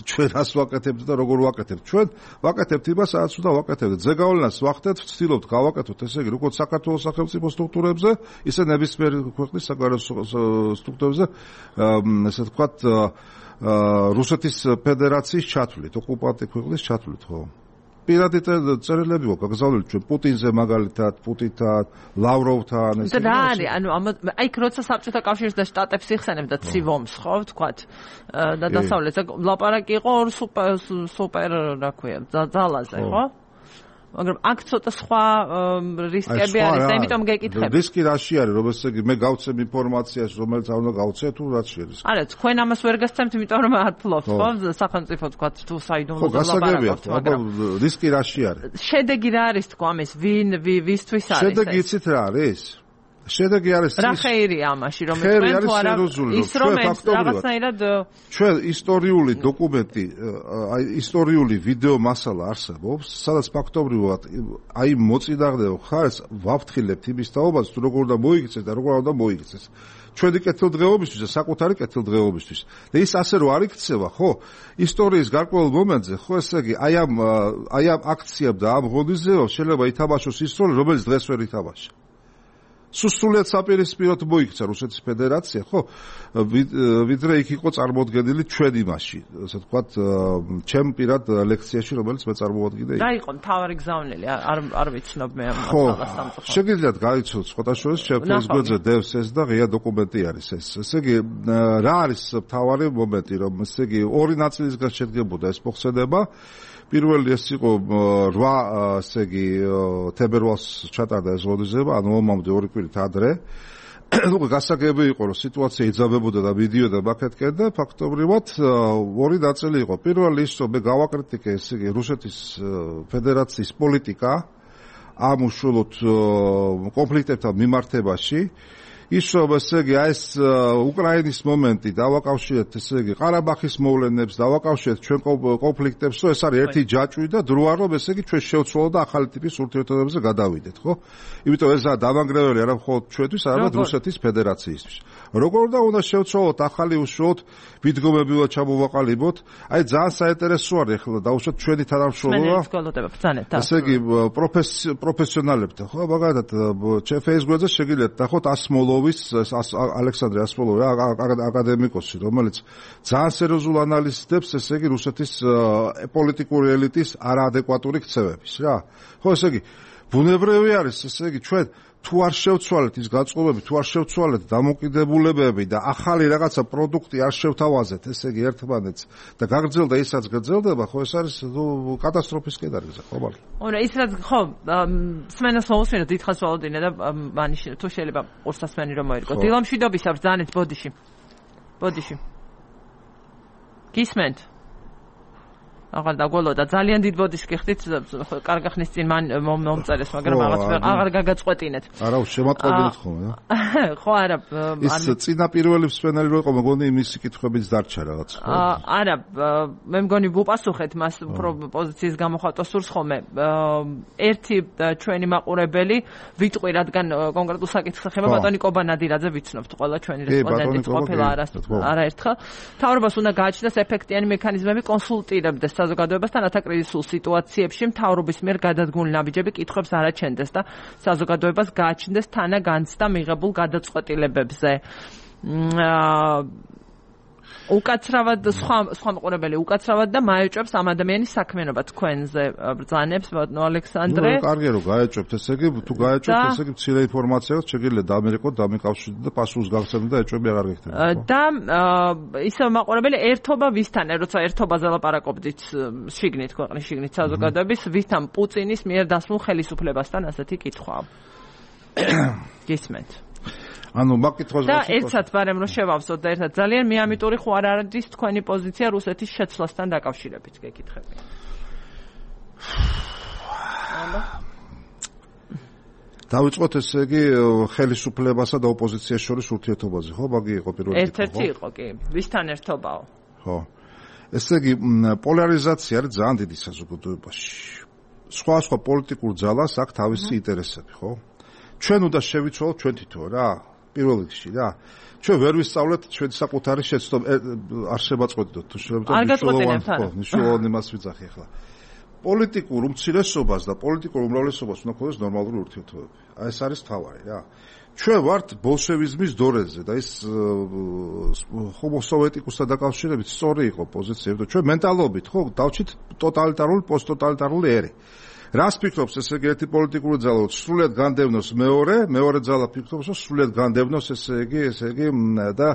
ჩვენ რას ვაკეთებთ და როგორ ვაკეთებთ. ჩვენ ვაკეთებთ იმას, სადაც უნდა ვაკეთებთ. ზეგავლენას ვახდეთ, ვცდილობთ გავაკეთოთ, ესე იგი, როგორც საქართველოს სახელმწიფო სტრუქტურებზე, ისე ნებისმიერ ქვეყნის საგარეო სტრუქტურებზე, ესე ვთქვათ, რუსეთის ფედერაციის ჩათვლით, ოკუპანტი ქვეყნის ჩათვლით, ხო? პირადი წერილები გვაქვს გაგზავნილი ჩვენ პუტინზე მაგალითად, პუტინთან, ლავროვთან, ესე იგი. და რა არის, ანუ აი როცა საბჭოთა კავშირს და შტატებს იხსენებ და ცივ-ომს, ხო, ვთქვათ, და დასავლეთზე ლაპარაკი იყო ორ სუპერ სუპერ რა ქვია, ძალაზე, ხო? მაგრამ აქ ცოტა სხვა რისკები არის და იმიტომ გეკითხები. რისკი რაში არის, რომ ესე იგი მე გავცემ ინფორმაციას, რომელიც არ უნდა გავცე, თუ რაც შეიძლება. არა, თქვენ ამას ვერ გასცემთ, იმიტომ რომ არ ფლობთ, ხო? სახელმწიფო თქვათ, თუ საიდუმლო ლაპარაკობთ, მაგრამ რისკი რაში არის? შედეგი რა არის თქვა ამის, ვინ ვისთვის არის ეს? შედეგი იცით რა არის? შედეგი არის რა ხეირია ამაში, რომ თქვენ თუ არა ის რომ რაღაცნაირად ჩვენ ისტორიული დოკუმენტი, აი ისტორიული ვიდეო მასალა არსებობს, სადაც ფაქტობრივად აი მოწინააღმდეგე ხარს ვაფრთხილებთ იმის თაობას, თუ როგორ უნდა მოიქცეს და როგორ უნდა მოიქცეს. ჩვენი კეთილდღეობისთვის და საკუთარი კეთილდღეობისთვის. და ის ასე რომ არ იქცევა, ხო? ისტორიის გარკვეულ მომენტზე, ხო, ესე იგი, აი ამ აი ამ აქციამ და ამ ღონისძიებამ შეიძლება ითამაშოს ის როლი, რომელიც დღეს ვერ ითამაშა. სუსტულად საპირისპიროდ მოიქცა რუსეთის ფედერაცია, ხო? ვიდრე იქ იყო წარმოდგენილი ჩვენ იმაში, ასე ვთქვათ, ჩემ პირად ლექციაში, რომელიც მე წარმოვადგინე. რა იყო მთავარი გზავნილი? არ არ ვიცნობ მე ამ მასალას სამწუხაროდ. შეგიძლიათ გაიცნოთ სხვათა შორის ჩემ ფეისბუქზე დევს ეს და ღია დოკუმენტი არის ეს. ესე იგი, რა არის მთავარი მომენტი, რომ ესე იგი ორი ნაწილისგან შედგებოდა ეს მოხსენება. პირველი ეს იყო რვა, ესე იგი, თებერვალს ჩატარდა ეს ღონისძიება, ანუ ომამდე ორი კვირით ადრე. უკვე გასაგები იყო, რომ სიტუაცია იძაბებოდა და მიდიოდა ბაქეთკენ და ფაქტობრივად ორი ნაწილი იყო. პირველი ის, რომ მე გავაკრიტიკე, ესე იგი, რუსეთის ფედერაციის პოლიტიკა ამ უშუალოდ კონფლიქტებთან მიმართებაში. ის რომ ესე იგი აი ეს უკრაინის მომენტი დავაკავშირეთ ესე იგი ყარაბაღის მოვლენებს დავაკავშირეთ ჩვენ კონფლიქტებს რომ ეს არის ერთი ჯაჭვი და დროა რომ ესე იგი ჩვენ შევცვალოთ და ახალი ტიპის ურთიერთობებზე გადავიდეთ ხო იმიტომ ეს დამანგრეველი არა მხოლოდ ჩვენთვის არამედ რუსეთის ფედერაციისთვის როგორ და უნდა შევცვალოთ ახალი უშუალოდ მიდგომებიულად ჩამოვაყალიბოთ აი ძალიან საინტერესო არის ახლა დაუშვათ ჩვენი თანამშრომლობა ესე იგი პროფესიონალებთან ხო მაგალითად ჩვენ Facebook-ზე შეგიძლიათ ნახოთ ასმოლოვის ალექსანდრე ასმოლოვი აკადემიკოსი რომელიც ძალიან სერიოზულ ანალიზებს ესე იგი რუსეთის პოლიტიკური ელიტის არაადეკვატური ქცევების რა ხო ესე იგი ბუნებრივი არის ესე იგი ჩვენ თუ არ შევცვალეთ ის გაწყობები, თუ არ შევცვალეთ დამოკიდებულებები და ახალი რაღაცა პროდუქტი არ შევთავაზეთ, ესე იგი ერთმანეთს და გაგრძელდა ისაც გრძელდება, ხო ეს არის კატასტროფის კედარზე, ხო მაგრამ. ორა ის რაც ხო, სმენას მოусმინოთ დიდხანს ვალოდინე და მანიშ თუ შეიძლება ორსასმენი რომ მოერგო. დილამშვიდობის ბრძანეთ ბოდიში. ბოდიში. გისმენთ? აღარ დაგველოდა ძალიან დიდ ბოდიშს გიხდით კარგი ხნის წინ მან მომწერეს მაგრამ რაღაც აღარ გაგაწყვეტინეთ არა შემატყობინეთ ხოლმე ხო არა ის წინა პირველი მსვენელი რო იყო მეგონი იმისი კითხვებიც დარჩა რაღაც არა მე მგონი ვუპასუხეთ მას უფრო პოზიციის გამოხატვა სურს ხოლმე ერთი ჩვენი მაყურებელი ვიტყვი რადგან კონკრეტულ საკითხს ეხება ბატონი კობანადირაძე ვიცნობთ ყველა ჩვენი რესპონდენტი ყოფილა არაერთხელ მთავრობას უნდა გააჩნდეს ეფექტიანი მექანიზმები კონსულტირებდეს საზოგადოებასთან ათაკრიზისულ სიტუაციებში მთავრობის მიერ გადადგმული ნაბიჯები კითხვებს არ აჩენდეს და საზოგადოებას გააჩნდეს თანაგანცდა მიღებულ გადაწყვეტილებებზე. უკაცრავად სხვა სხვა მოყურებელი უკაცრავად და მაეჭვებს ამ ადამიანის საქმიანობა თქვენზე ბრძანებს ბატონო ალექსანდრე. ნუ კარგია რომ გაეჭვებთ ესე იგი თუ გაეჭვებთ ესე იგი მცირე ინფორმაციას შეგიძლიათ დამერეკოთ დამიკავშირდეთ და პასუხს გაგცემთ და ეჭვები აღარ გექნებათ. და ისევ მაყურებელი ერთობა ვისთან როცა ერთობაზე ლაპარაკობდით შიგნით ქვეყნის შიგნით საზოგადოების ვისთან პუტინის მიერ დასმულ ხელისუფლებასთან ასეთი კითხვაა. გისმენთ? ანუ მაგკითხვას და ერთად ბარემ რომ შევავსოთ და ერთად ძალიან მეამიტური ხო არ არის თქვენი პოზიცია რუსეთის შეცვლასთან დაკავშირებით გეკითხები. დავიწყოთ ესე იგი ხელისუფლებასა და ოპოზიციას შორის ურთიერთობაზე ხო მაგი იყო პირველი კითხვა ერთ-ერთი იყო კი ვისთან ერთობაო ხო ესე იგი პოლარიზაცია არის ძალიან დიდი საზოგადოებაში სხვა სხვა პოლიტიკურ ძალას აქვს თავისი ინტერესები ხო ჩვენ უნდა შევიცვალოთ ჩვენ თვითონ რა პირველ რიგში რა ჩვენ ვერ ვისწავლეთ ჩვენ საკუთარი შეცდომა არ შევაწყვეტოთ თუ შეიძლება მნიშვნელოვანი მას ვიძახი ახლა პოლიტიკურ უმცირესობას და პოლიტიკურ უმრავლესობას უნდა ქონდეს ნორმალური ურთიერთობები აი ეს არის თავარი რა ჩვენ ვართ ბოლშევიზმის დორეზე და ის ჰომოსოვეტიკუსთან დაკავშირებით სწორი იყო პოზიცია და ჩვენ მენტალობით ხო დავჭით ტოტალიტარული პოსტტოტალიტარული ერი რას ფიქრობს ესე იგი ერთი პოლიტიკური ძალა რომ სრულად განდევნოს მეორე მეორე ძალა ფიქრობს რომ სრულად განდევნოს ესე იგი ესე იგი და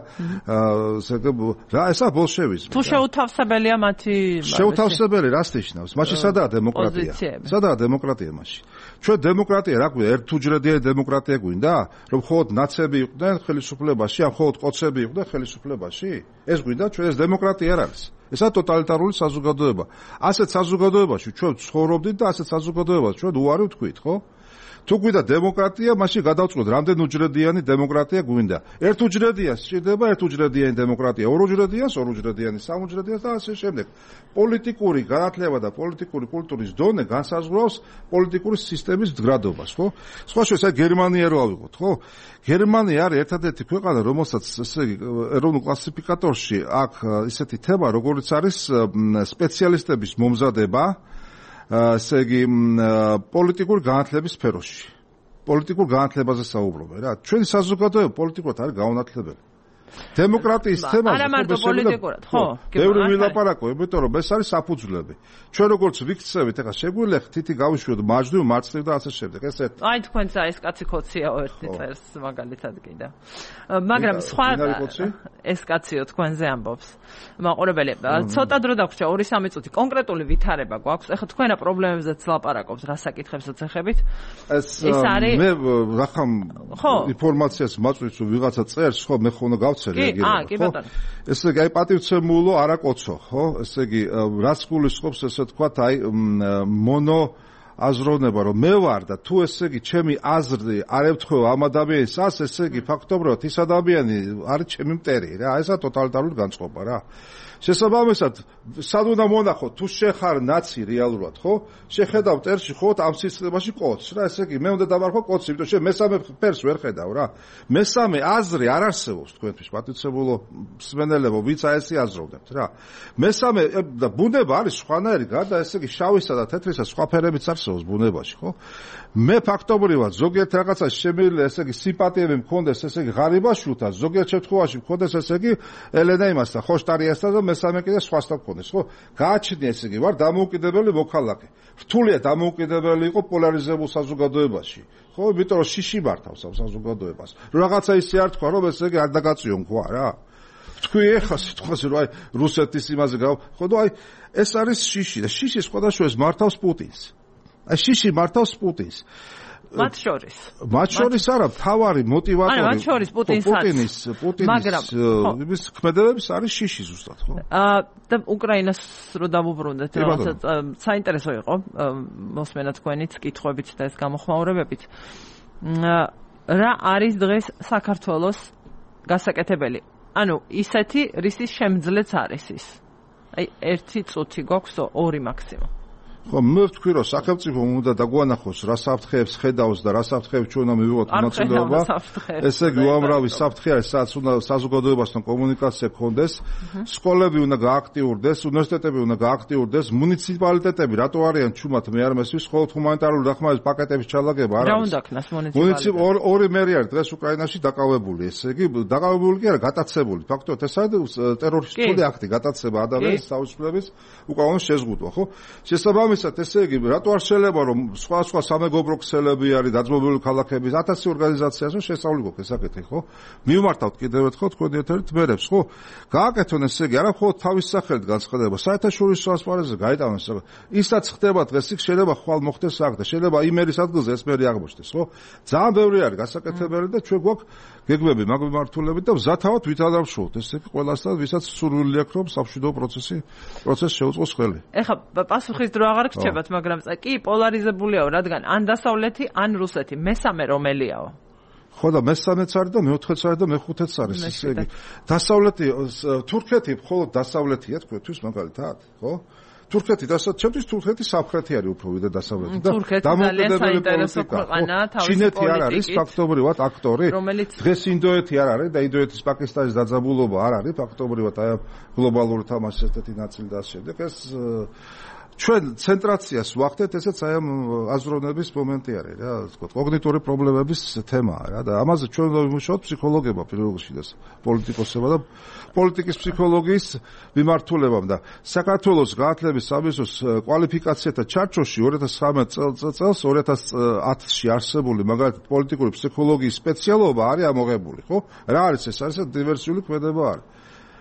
ესე იგი რა ესა ბოლშევიზმი თუ შეუთავსებელია მათი შეუთავსებელი რას ნიშნავს მაშინ სადაა დემოკრატია სადაა დემოკრატია მაშინ ჩვენ დემოკრატია რა გვინდა ერთუჯრედიანი დემოკრატია გვინდა რომ მხოლოდ ნაცები იყვნენ ხელისუფლებაში ან მხოლოდ ყოცები იყვნენ ხელისუფლებაში ეს გვინდა ჩვენ ეს დემოკრატია არ არის ესა ტოტალიტარული საზოგადოება. ასეთ საზოგადოებაში ჩვენ ცხოვრობდით და ასეთ საზოგადოებას ჩვენ უარი ვთქვით, ხო? თუ გვინდა დემოკრატია, მაშინ გადავწყვეტ, რამდენ უჯრედიანი დემოკრატია გვინდა. ერთუჯრედია სჭირდება ერთუჯრედიანი დემოკრატია, ორუჯრედიანს, ორუჯრედიანი, სამუჯრედიანს და ასე შემდეგ. პოლიტიკური განათლება და პოლიტიკური კულტურის დონე განსაზღვრავს პოლიტიკური სისტემის მდგრადობას, ხო? სხვა შორის აი გერმანია რო ავიღოთ, ხო? გერმანია არის ერთადერთი ქვეყანა, რომელსაც ესე იგი ეროვნულ კლასიფიკატორში აქვს ისეთი თემა, როგორიც არის სპეციალისტების მომზადება ესე იგი პოლიტიკური განათლების სფეროში. პოლიტიკურ განათლებაზე საუბრობენ რა. ჩვენი საზოგადოება პოლიტიკურად არის გაუნათლებელი. დემოკრატიის თემაზე არა მარტო პოლიტიკურად, ხო? ბევრი ვილაპარაკო, იმიტომ რომ ეს არის საფუძვლები. ჩვენ როგორც ვიქცევით, ეხლა შეგვიძლია თითი გავიშვიოთ მაჯდივ, მარცხნივ და ასე შემდეგ. ეს ერთ. აი თქვენც ეს კაცი ქოციაო ერთი წერს მაგალითად კიდე. მაგრამ სხვა ეს კაციო თქვენზე ამბობს. მაყურებელი, ცოტა დრო დაგვრჩა ორი სამი წუთი. კონკრეტული ვითარება გვაქვს. ეხლა თქვენა პრობლემებზეც ლაპარაკობს, რა საკითხებსაც ეხებით. ეს არის მე რახამ ინფორმაციას მაწვდის რომ ვიღაცა წერს, ხო, მე ხონა გავცე რეაგირება. კი ბატონო. ესე იგი აი პატივცემულო არა კოცო, ხო? ესე იგი რაც გულისხმობს ესე თქვა აი მონო აზროვნება რომ მე ვარ და თუ ესე იგი ჩემი აზრი არ ემთხვევა ამ ადამიანის ას, ესე იგი ფაქტობრივად ის ადამიანი არის ჩემი მტერი რა, ესა ტოტალიტარული განწყობა რა. შესაბამისად, სად უნდა მონახოთ, თუ შეხარ ნაცი რეალურად, ხო? შეხედავ ტერში ხო ამ სისტემაში კოდს რა, ესე იგი მე უნდა დავარქვა კოდს, იმიტომ რომ მესამე ფერს ვერ ხედავ რა. მესამე აზრი არ არსებობს თქვენთვის, პატივცემულო მსმენელებო, ვინც აი ესე აზროვნებთ რა. მესამე და ბუნება არის სხვანაირი, გარდა ესე იგი შავისა და თეთრისა სხვა ფერებიც არსებობს ბუნებაში, ხო? მე ფაქტობრივად ზოგიერთ რაღაცას შემიძლია ესე იგი სიმპათიები მქონდეს, ესე იგი ღარიბაშვილთან, ზოგიერთ შემთხვევაში მქონდეს ესე იგი ელენა იმასთან, ხოშტარიასთან და მესამე კიდე სხვასთან მქონდეს, ხო? გააჩნია ესე იგი ვარ დამოუკიდებელი მოქალაქე. რთულია დამოუკიდებელი იყო პოლარიზებულ საზოგადოებაში, ხო? იმიტომ რომ შიში მართავს ამ საზოგადოებას. რაღაცა ისე არ თქვა, რომ ესე იგი არ დაგაწიონ თქვა რა. თქვი ეხა სიტყვაზე რომ აი რუსეთის იმაზე გავა, ხო და აი ეს არის შიში და შიში სხვადასხვა ეს მართავს პუტინს. აი შიში მართავს პუტინს. მათ შორის. მათ შორის არა, თავარი мотиваტორი. არა, მათ შორის პუტინს პუტინის, პუტინის იმის ქმედებების არის შიში ზუსტად, ხო? აა და უკრაინას რო დავუბრუნდეთ, რაღაცა საინტერესო იყო მოსმენა თქვენიც კითხვებით და ეს გამოხმაურებებით. რა არის დღეს საქართველოს გასაკეთებელი? ანუ ისეთი რისის შემძლეც არის ის. აი ერთი წუთი გვაქვს, ორი მაქსიმუმ. ხო, მე ვთქვი რომ სახელმწიფო უნდა დაგვანახოს რა საფრთხეებს ხედავს და რა საფრთხეებს ჩვენ უნდა მივიღოთ მონაწილეობა. ესე იგი უამრავი საფრთხე არის, სადაც უნდა საზოგადოებასთან კომუნიკაცია გქონდეს, სკოლები უნდა გააქტიურდეს, უნივერსიტეტები უნდა გააქტიურდეს, მუნიციპალიტეტები რატო არიან ჩუმად მე არ მესმის, ხოლმე ჰუმანიტარული დახმარების პაკეტების ჩალაგება არ არის. რა უნდა ქნას მუნიციპალიტეტები? ორი მერი არის დღეს უკრაინაში დაკავებული, ესე იგი დაკავებული კი არა, გატაცებული. ფაქტობრივად ეს არის ტერორისტული აქტი, გატაცება ადამიანის თავისუფლების უკანონო შეზღუდვა, ხო? შესაბამისად ესე იგი რატო არ შეიძლება რომ სხვა სხვა სამეგობრო ქსელები არის დაძმობილი ქალაქების ათასი ორგანიზაციას რომ შესწავლი გქონდეს საკითხი, ხო? მივმართავთ კიდევ ერთხელ თქვენი ერთ-ერთ მერებს, ხო? გააკეთონ ესე იგი არა მხოლოდ თავის სახელით განცხადება, საერთაშორისო ასპარეზზე გაიტანოს. ისაც ხდება დღეს იქ შეიძლება ხვალ მოხდეს აქ და შეიძლება იმერის ადგილზე ეს მერი აღმოჩნდეს, ხო? ძალიან ბევრი არის გასაკეთებელი და ჩვენ გვაქვს გეგმები მაგ მიმართულებით და მზათავად ვითანამშრომლობთ ესე იგი ყველასთან, ვისაც სურვილი აქვს რომ სამშვიდობო პროცესი პროცესი შეუწყოს ხელი. ეხლა პასუხის დრო აღარ გრჩებათ, მაგრამ კი პოლარიზებულია, რადგან ან დასავლეთი, ან რუსეთი, მესამე რომელიაო? ხო და მესამეც არის და მეოთხეც არის და მეხუთეც არის, ესე იგი. დასავლეთი, თურქეთი მხოლოდ დასავლეთია თქვენთვის მაგალითად, ხო? თურქეთი დასავლეთი, ჩემთვის თურქეთი სამხრეთი არის უფრო ვიდრე დასავლეთი და დამოუკიდებელი პოლიტიკა. ჩინეთი არ არის ფაქტობრივად აქტორი. დღეს ინდოეთი არ არის და ინდოეთის პაკისტანის დაძაბულობა არ არის ფაქტობრივად აი გლობალური თამაშის ერთ-ერთი ნაწილი და ასე შემდეგ. ეს ჩვენ ცენტრაციას ვახდეთ, ესეც აი ამ აზროვნების მომენტი არის რა, თქო, კოგნიტური პრობლემების თემაა რა და ამაზე ჩვენ უნდა ვიმუშაოთ ფსიქოლოგებმა პირველ რიგში და პოლიტიკოსებმა და პოლიტიკის ფსიქოლოგიის მიმართულებამ და საქართველოს გაათლების სამინისტროს კვალიფიკაციათა ჩარჩოში ორი ათას ცხრამეტ წელს ორი ათას ათში არსებული მაგალითად პოლიტიკური ფსიქოლოგიის სპეციალობა არის ამოღებული, ხო? რა არის ეს? არის დივერსიული ქმედება არის.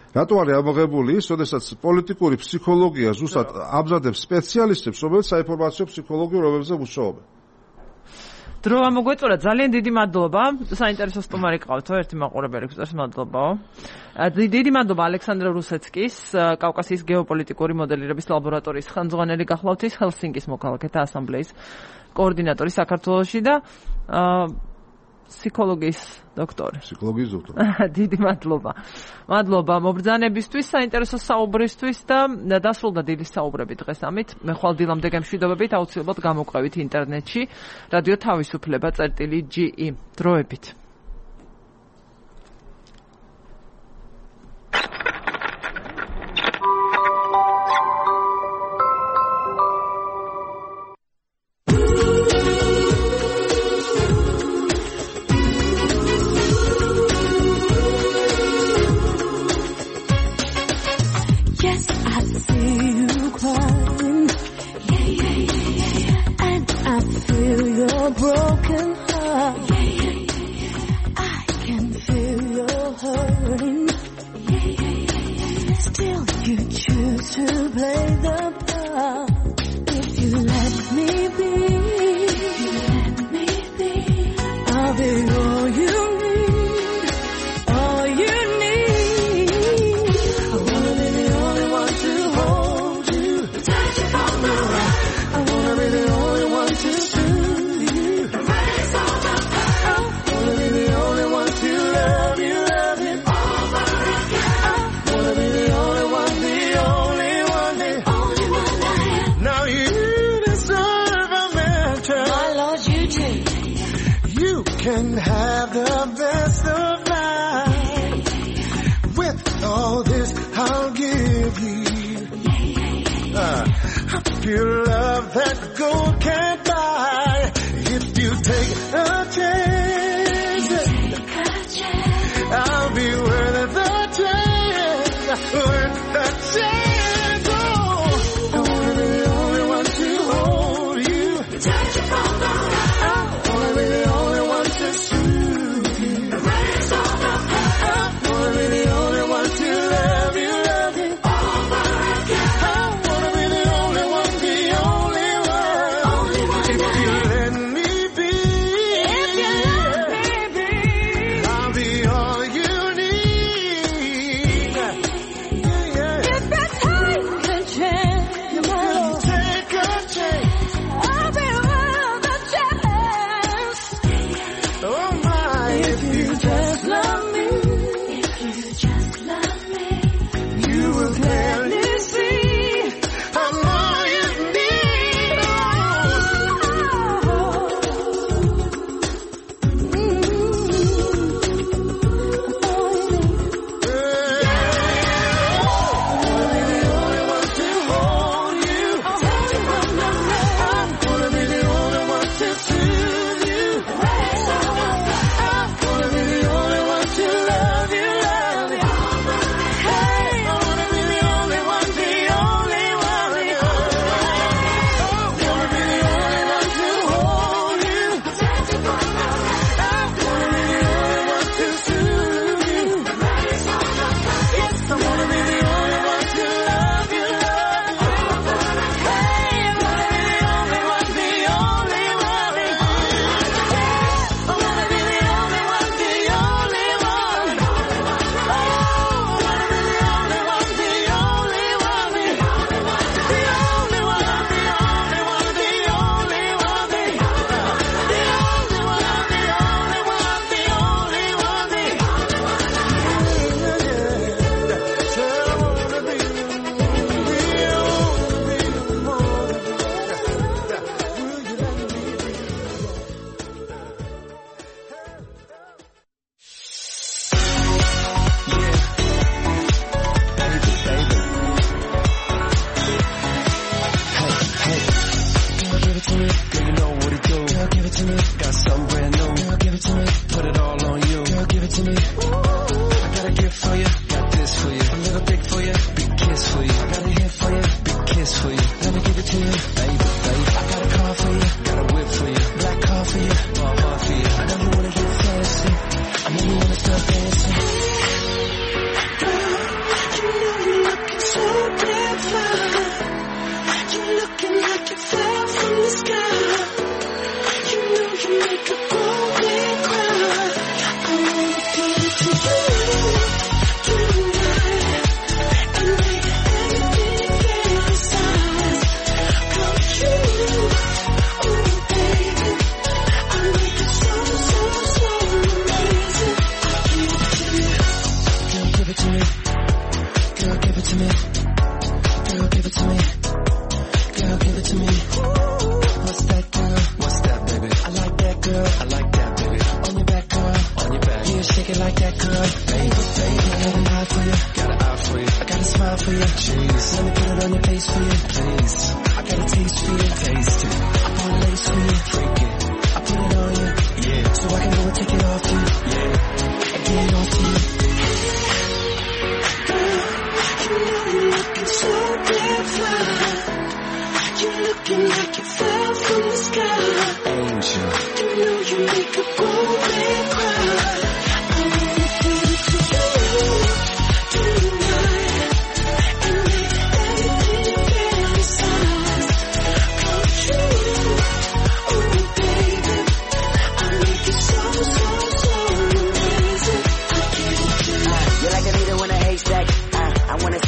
რატო არის ამოღებული ის, როდესაც პოლიტიკური ფსიქოლოგია ზუსტად ამზადებს სპეციალისტებს, რომელიც საინფორმაციო ფსიქოლოგიურ რომებზე მუშაობენ. დრო ამოგვეწურა, ძალიან დიდი მადლობა. საინტერესო სტუმარი ყავთო, ერთი მაყურებელი გვწერს, მადლობაო. დიდი მადლობა ალექსანდრე რუსეცკის, კავკასიის გეოპოლიტიკური მოდელირების ლაბორატორიის ხელმძღვანელი გახლავთ, ჰელსინკის მოქალაქეთა ასამბლეის კოორდინატორი საქართველოში და ფსიქოლოგიის დოქტორი. ფსიქოლოგიის დოქტორი. დიდი მადლობა. მადლობა მობრძანებისთვის, საინტერესო საუბრისთვის და დასრულდა დილის საუბრები დღეს ამით. მე ხვალ დილამდე გემშვიდობებით, აუცილებლად გამოგვყევით ინტერნეტში. რადიო თავისუფლება წერტილი ჯი ი დროებით. still you choose to play the part. If you let me be, let me be, I'll be all you need, all you need. I wanna be the only one to hold you, touch you from the right. I wanna be the only one to soothe you, erase all the past. I wanna be the only one to love you, love you over again. I wanna be the only one, the only one, the only one I am. Now you deserve a mansion. My Lord, you take. You can have the best of life. With all this, I'll give you uh, a pure love that gold can't buy. If you take a chance, I'll be worth the chance, worth the chance. Oh, I wanna be the only one to hold you, Touch you from the right. I wanna be the only one to soothe you, Erase all the past. I wanna be the only one to love you, love you Over again. I wanna be the only one, the only one, Only one if I you am. let me be, If you let me be. I'll be all you need. Yeah, yeah. If you take a chance, Take a chance. I'll be worth a chance. Oh my, if you just Love me. If you just love me. you will clearly See. I'm all you need.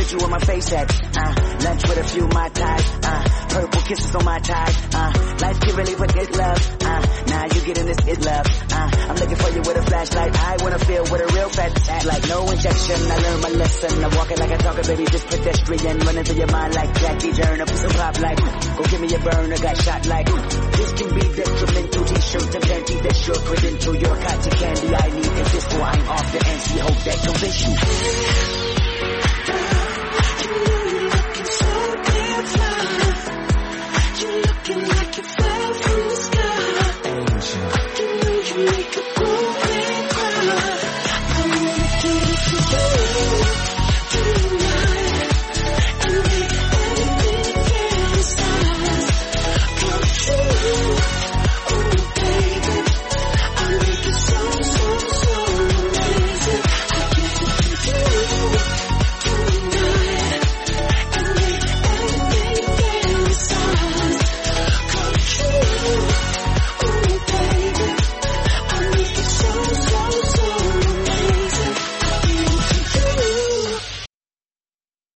sit you on my face at. Uh, lunch with a few my ties. Uh, purple kisses on my ties. Uh, life can really forget love. Uh, now you getting this is love. Uh, I'm looking for you with a flashlight. I wanna feel with a real fat act like no injection. I learned my lesson. I'm walking like a talker, baby, just pedestrian. Running through your mind like Jackie Turner. Piece of pop like, go give me a burner. Got shot like, this can be detrimental. T-shirt and panty, that's your credential. Your cotton candy I need. If this boy, I'm off the ante. Hope that convince you.